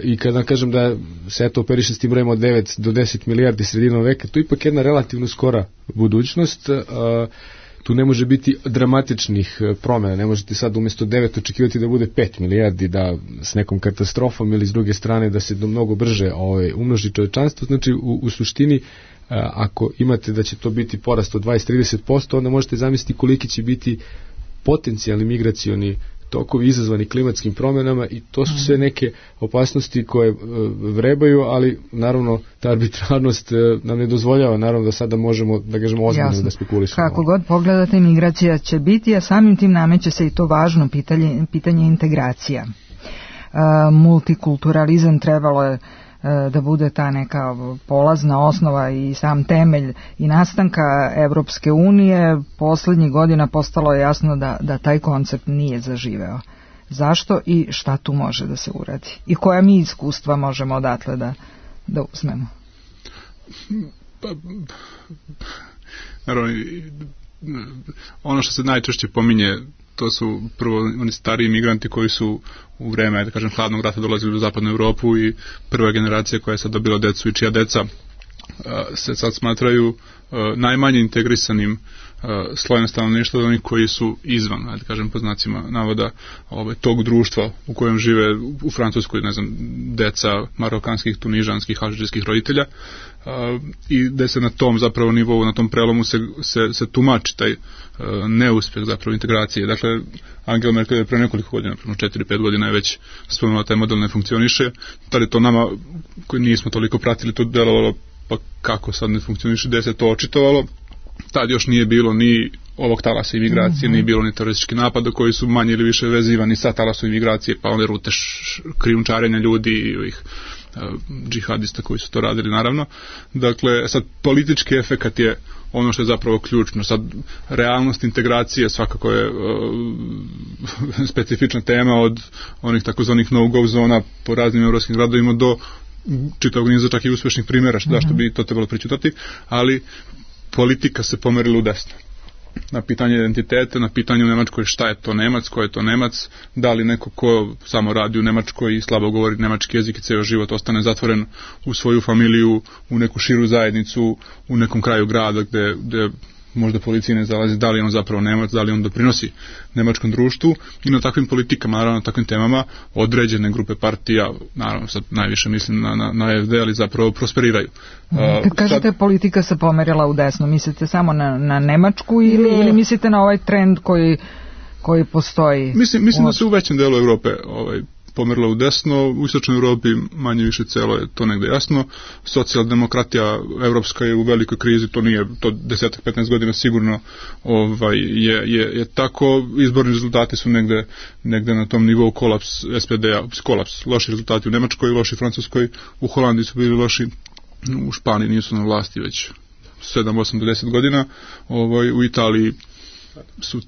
i kada kažem da se eto operiše s tim brojem od 9 do 10 milijardi sredinom veka, to je ipak jedna relativno skora budućnost. Tu ne može biti dramatičnih promjena, ne možete sad umjesto 9 očekivati da bude 5 milijardi, da s nekom katastrofom ili s druge strane da se mnogo brže umnoži čovječanstvo. Znači u suštini ako imate da će to biti porast od 20-30%, onda možete zamisliti koliki će biti potencijalni migracioni tokovi izazvani klimatskim promjenama i to su sve neke opasnosti koje vrebaju, ali naravno ta arbitrarnost nam ne dozvoljava naravno da sada možemo da kažemo ozbiljno da spekulišemo. Kako god pogledate, migracija će biti, a samim tim nameće se i to važno pitanje integracija. Multikulturalizam trebalo je da bude ta neka polazna osnova i sam temelj i nastanka Evropske unije, poslednjih godina postalo je jasno da taj koncept nije zaživeo. Zašto i šta tu može da se uradi? I koja mi iskustva možemo odatle da uzmemo? Naravno, ono što se najčešće pominje, to su prvo oni stariji migranti koji su u vreme, da kažem, hladnog rata dolazili u zapadnu Evropu i prva generacija koja je sad dobila decu i čija deca se sad smatraju najmanje integrisanim slojem stanovništva od onih koji su izvan, da kažem po znacima navoda, tog društva u kojem žive u Francuskoj, ne znam, deca marokanskih, tunižanskih, alžirskih roditelja, i da se na tom zapravo nivou, na tom prelomu se tumači taj neuspjeh zapravo integracije. Dakle, Angela Merkel je pre nekoliko godina, 4-5 godina je već spomenula taj model ne funkcioniše, tada je to nama koji nismo toliko pratili to delovalo, pa kako sad ne funkcioniše, gde se to očitovalo. Tad još nije bilo ni ovog talasa imigracije, nije bilo ni teroristički napada koji su manje ili više vezivani sa talasom imigracije, pa one rute krijumčarenja ljudi i ovih džihadista koji su to radili, naravno. Dakle, sad politički efekat je ono što je zapravo ključno. Sad, realnost integracije svakako je specifična tema, od onih takozvanih no-go zona po raznim evropskim gradovima do čitavog niza čak i uspešnih primjera, zašto bi to trebalo pričutati, ali politika se pomerila u desno. Na pitanje identiteta, na pitanje u Nemačkoj šta je to Nemac, ko je to Nemac, da li neko ko samo radi u Nemačkoj i slabo govori nemački jezik i ceo život ostane zatvoren u svoju familiju, u neku širu zajednicu, u nekom kraju grada gde možda policija ne zalazi, da li on zapravo Nemac, da li on doprinosi nemačkom društvu, i na takvim politikama, naravno na takvim temama određene grupe partija, naravno sad najviše mislim na AfD, ali zapravo prosperiraju. Kad kažete politika se pomerila u desno, mislite samo na Nemačku ili mislite na ovaj trend koji postoji? Mislim da se u većem delu Evrope pomerila u desno, u istočnoj Evropi manje više celo je to negde jasno. Socijaldemokratija evropska je u velikoj krizi, to nije, to 10-15 godina sigurno je tako. Izborni rezultati su negde na tom nivou kolaps SPD-a, kolaps, loši rezultati u Nemačkoj, loši u Francuskoj, u Holandiji su bili loši, u Španiji nisu na vlasti već 7-8 do 10 godina, u Italiji su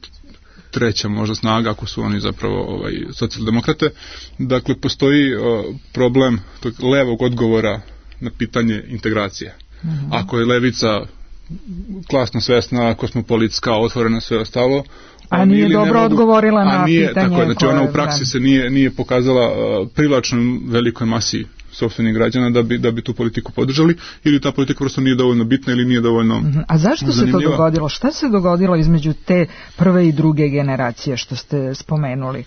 treća možda snaga, ako su oni zapravo socijaldemokrate. Dakle, postoji problem tog levog odgovora na pitanje integracije. Ako je levica klasno svesna, kosmopolitska, otvorena, sve ostalo, a nije dobro odgovorila na pitanje. Tako je, znači ona u praksi se nije pokazala privlačnom velikoj masi sopstvenih građana da bi tu politiku podržali, ili ta politika prosto nije dovoljno bitna ili nije dovoljno A zašto zanimljiva? Se to dogodilo? Šta se dogodilo između te prve i druge generacije što ste spomenuli?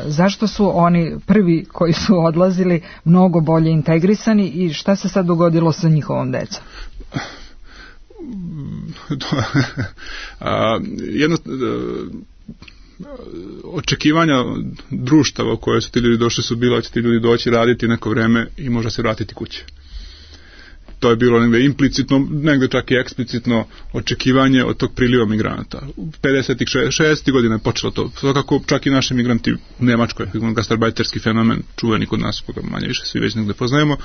Zašto su oni prvi koji su odlazili mnogo bolje integrisani i šta se sad dogodilo sa njihovom decom? Očekivanja društava u koje su ti ljudi došli su bila će ti ljudi doći raditi neko vreme i možda se vratiti kuće. To je bilo negde implicitno, negde čak i eksplicitno očekivanje od tog priliva migranata. U 50-ih, 60-ih godina je počelo to. Svakako čak i naši migranti u Nemačkoj, gastarbajterski fenomen, čuveni kod nas, koga manje više svi već negde poznajemo,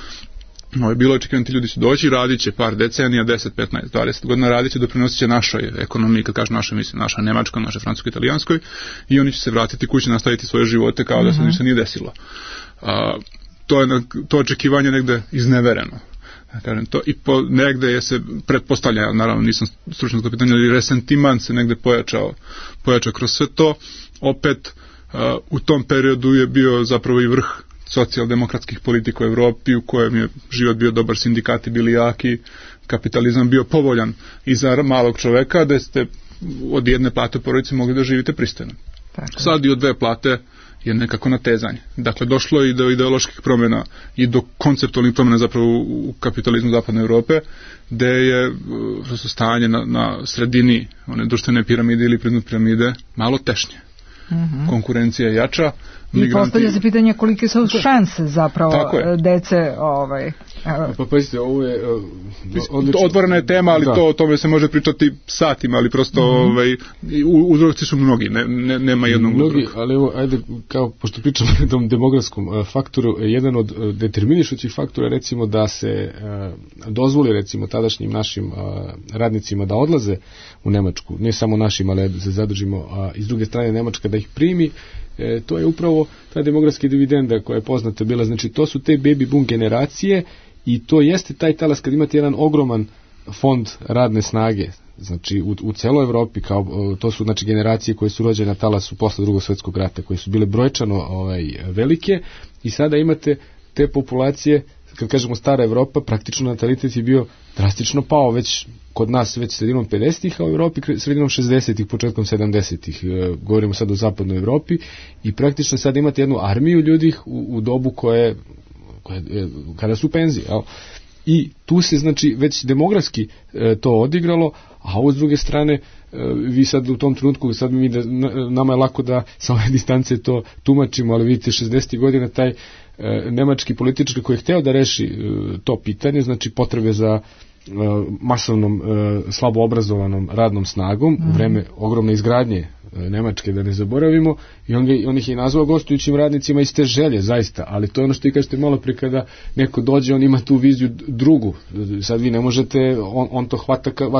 bilo očekivanje, ti ljudi su doći, radit će par decenija, 10, 15, 20 godina, radit će, doprinosit će našoj ekonomiji, kad kažem našoj, mislim naša nemačkoj, naša francuskoj, italijanskoj, i oni će se vratiti kući, nastaviti svoje živote kao da se ništa nije desilo. To očekivanje negde iznevereno. Kažem to, i negde je se pretpostavlja, naravno nisam stručan za to pitanje, ali resentiman se negde pojačao kroz sve to. Opet u tom periodu je bio zapravo i vrh socijaldemokratskih politika u Evropi, u kojem je život bio dobar, sindikati bili jaki, kapitalizam bio povoljan i za malog čoveka, da ste od jedne plate u porodici mogli da živite pristojno. Sad i od dve plate je nekako natezanje. Dakle, došlo je i do ideoloških promjena i do konceptualnih promjena zapravo u kapitalizmu zapadne Evrope, gde je stanje na sredini one društvene piramide ili priznu piramide malo tešnje. Konkurencija je jača. I postavlja se pitanje kolike su šanse zapravo dece Pa pazite, ovo je otvorena je tema, ali o tome se može pričati satima, ali prosto uzroci su mnogi, nema jednog uzroka. Ali evo, ajde, kao, pošto pričamo o tom demografskom faktoru, jedan od determinišućih faktora, recimo, da se dozvoli, recimo, tadašnjim našim radnicima da odlaze u Nemačku, ne samo našim, ali da se zadržimo, i s druge strane Nemačka da ih primi, to je upravo ta demografska dividenda koja je poznata bila, znači to su te baby boom generacije i to jeste taj talas kad imate jedan ogroman fond radne snage, znači u celoj Evropi, kao to su znači generacije koje su rođene na talasu posle Drugog svjetskog rata, koje su bile brojčano velike i sada imate te populacije, kad kažemo stara Evropa, praktično natalitet je bio drastično pao, već kod nas već sredinom 50-ih, a u Evropi sredinom 60-ih, početkom 70-ih, govorimo sad o zapadnoj Evropi, i praktično sad imate jednu armiju ljudi u dobu koje kada su penzije, jel? I tu se znači već demografski to odigralo, a ovo s druge strane vi sad u tom trenutku, sad nama je lako da sa ove distance to tumačimo, ali vidite 60. godina taj nemački političar koji je hteo da reši to pitanje, znači potrebe za masovnom slabo obrazovanom radnom snagom u vreme ogromne izgradnje Nemačke, da ne zaboravimo, i on ih je nazvao gostujućim radnicima iz te želje, zaista, ali to je ono što i kažete malo pre, kada neko dođe, on ima tu viziju drugu, sad vi ne možete, on to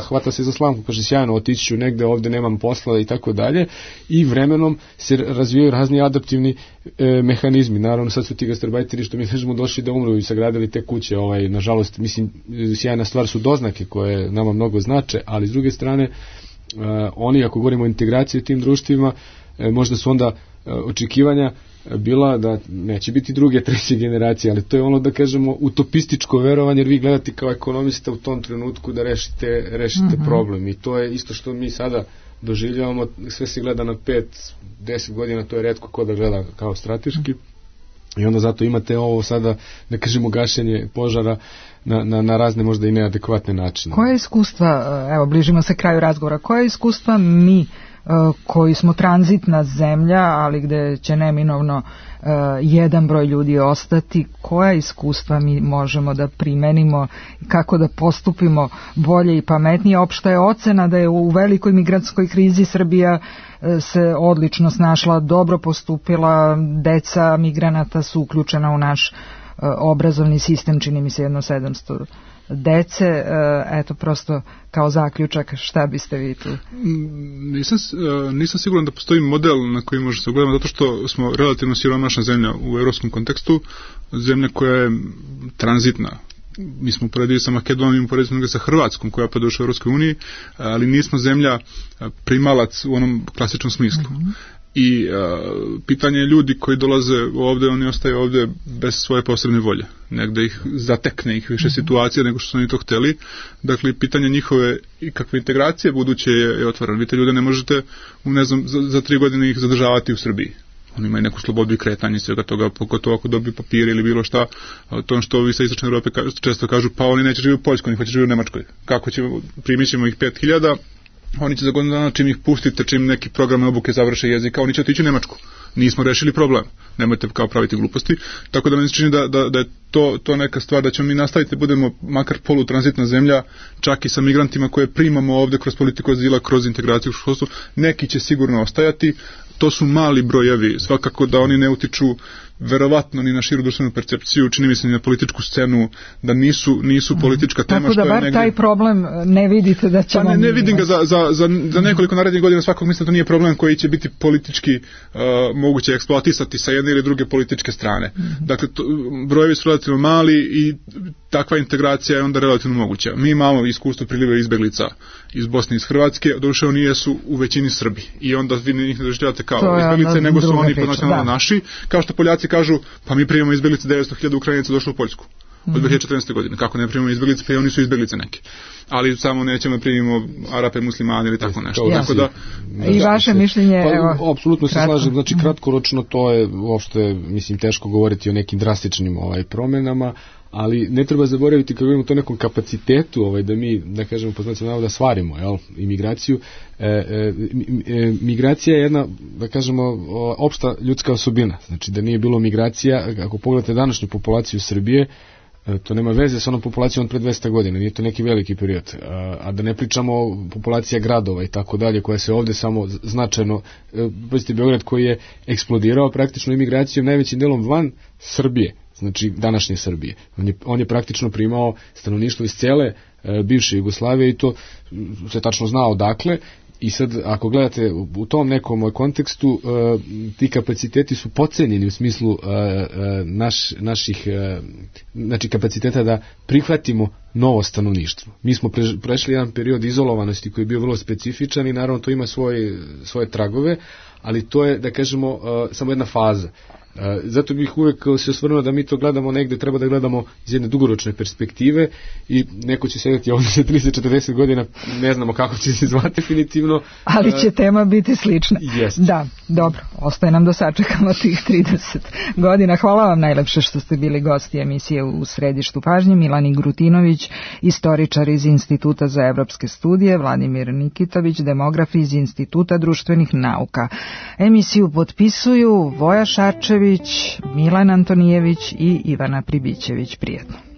hvata se za slamku, kaže sjajno, otići ću negde, ovde nemam posla i tako dalje, i vremenom se razvijaju razni adaptivni mehanizmi. Naravno sad su ti gastarbajteri, što mi kažemo, došli da umru i sagradili te kuće, nažalost, mislim, sjajna stvar su doznake koje nama mnogo znače, ali s druge strane oni, ako govorimo o integraciji u tim društvima, možda su onda očekivanja bila da neće biti druge, treće generacije, ali to je ono, da kažemo, utopističko verovanje, jer vi gledate kao ekonomista u tom trenutku da rešite problem, i to je isto što mi sada doživljavamo, sve se gleda na 5-10 godina, to je retko ko da gleda kao strateški, i onda zato imate ovo sada, da kažemo, gašenje požara na razne možda i neadekvatne načine. Koje iskustva, evo bližimo se kraju razgovora, koje iskustva mi koji smo tranzitna zemlja, ali gde će neminovno jedan broj ljudi ostati, koja iskustva mi možemo da primenimo, kako da postupimo bolje i pametnije? Opšta je ocena da je u velikoj migrantskoj krizi Srbija se odlično snašla, dobro postupila, deca migranata su uključena u naš obrazovni sistem, čini mi se 700 dece, eto, prosto kao zaključak, šta biste vi tu? Nisam siguran da postoji model na koji može se ugledamo, zato što smo relativno siromašna zemlja u evropskom kontekstu, zemlja koja je tranzitna. Mi smo uporedili sa Makedonijom, uporedili sa Hrvatskom koja pa došla u Evropskoj uniji, ali nismo zemlja primalac u onom klasičnom smislu. I pitanje je ljudi koji dolaze ovde, oni ostaju ovde bez svoje posebne volje. Negde ih zatekne ih više situacija nego što su oni to hteli. Dakle, pitanje njihove i kakve integracije buduće je otvoreno. Vi te ljude ne možete, ne znam, za 3 godine ih zadržavati u Srbiji. Oni imaju neku slobodu i kretanje svega toga, pogotovo ako dobiju papire ili bilo šta. To što ovi sa Istočne Evrope često kažu, pa oni neće živjeti u Poljskoj, oni hoće živjeti u Nemačkoj. Kako ćemo, primit ćemo ih 5000, oni će za godinu dana, čim ih pustite, čim neki program obuke završe jezika, oni će otići u Nemačku. Nismo rešili problem. Nemojte kao praviti gluposti. Tako da mi se čini da je to neka stvar, da ćemo mi nastaviti, budemo makar polutranzitna zemlja, čak i sa migrantima koje primamo ovde kroz politiku azila, kroz integraciju u školstvu. Neki će sigurno ostajati. To su mali brojevi, svakako da oni ne utiču verovatno ni na širu društvenu percepciju, čini mi se ni na političku scenu, da nisu politička tema. Tako da bar taj problem ne vidite da ćemo... Pa ne vidim ga za nekoliko narednih godina, svakog mislim da to nije problem koji će biti politički moguće eksploatisati sa jedne ili druge političke strane. Dakle, brojevi su relativno mali i takva integracija je onda relativno moguća. Mi imamo iskustvo priliva izbeglica iz Bosne i iz Hrvatske, doduše oni jesu u većini Srbi i onda vi njih ne doživljavate kao izbeglice, nego su oni nacionalno naši, kao što Poljaci kažu, pa mi primamo izbeglice, 900.000 Ukrajinaca došlo u Poljsku od 2014. godine. Kako ne primamo izbeglice, pa i oni su izbeglice neke. Ali samo nećemo primimo Arape, muslimane ili tako nešto. Tako da, i vaše mišljenje, evo. Apsolutno se slažem, znači kratkoročno to je uopšte, mislim, teško govoriti o nekim drastičnim promenama, ali ne treba zaboraviti, kad govorimo o to nekom kapacitetu, da mi, da kažemo, po znacima navoda, stvarimo, imigraciju. Migracija je jedna, da kažemo, opšta ljudska osobina. Znači da nije bilo migracija, ako pogledate današnju populaciju Srbije, To nema veze sa onom populacijom od pre 200 godina, nije to neki veliki period. A da ne pričamo o populacija gradova i tako dalje, koja se ovde samo značajno, pazite, Beograd koji je eksplodirao praktično imigracijom najvećim delom van Srbije, znači današnje Srbije. On je praktično primao stanovništvo iz cele bivše Jugoslavije i to se tačno zna odakle. I sad, ako gledate u tom nekom kontekstu, ti kapaciteti su podcenjeni u smislu naših znači kapaciteta da prihvatimo novo stanovništvo. Mi smo prešli jedan period izolovanosti koji je bio vrlo specifičan i naravno to ima svoje tragove, ali to je, da kažemo, samo jedna faza. Zato bih uvek se osvrnuo da mi to gledamo negde, treba da gledamo iz jedne dugoročne perspektive i neko će sedeti ovdje za 30-40 godina, ne znamo kako će se zvati definitivno. Ali će tema biti slična. Jest. Da, dobro, ostaje nam da sačekamo tih 30 godina. Hvala vam najlepše što ste bili gosti emisije U središtu pažnje. Milan Grutinović, istoričar iz Instituta za evropske studije, Vladimir Nikitović, demograf iz Instituta društvenih nauka. Emisiju potpisuju Voja Šarčević, Milan Antonijević i Ivana Pribićević. Prijetno.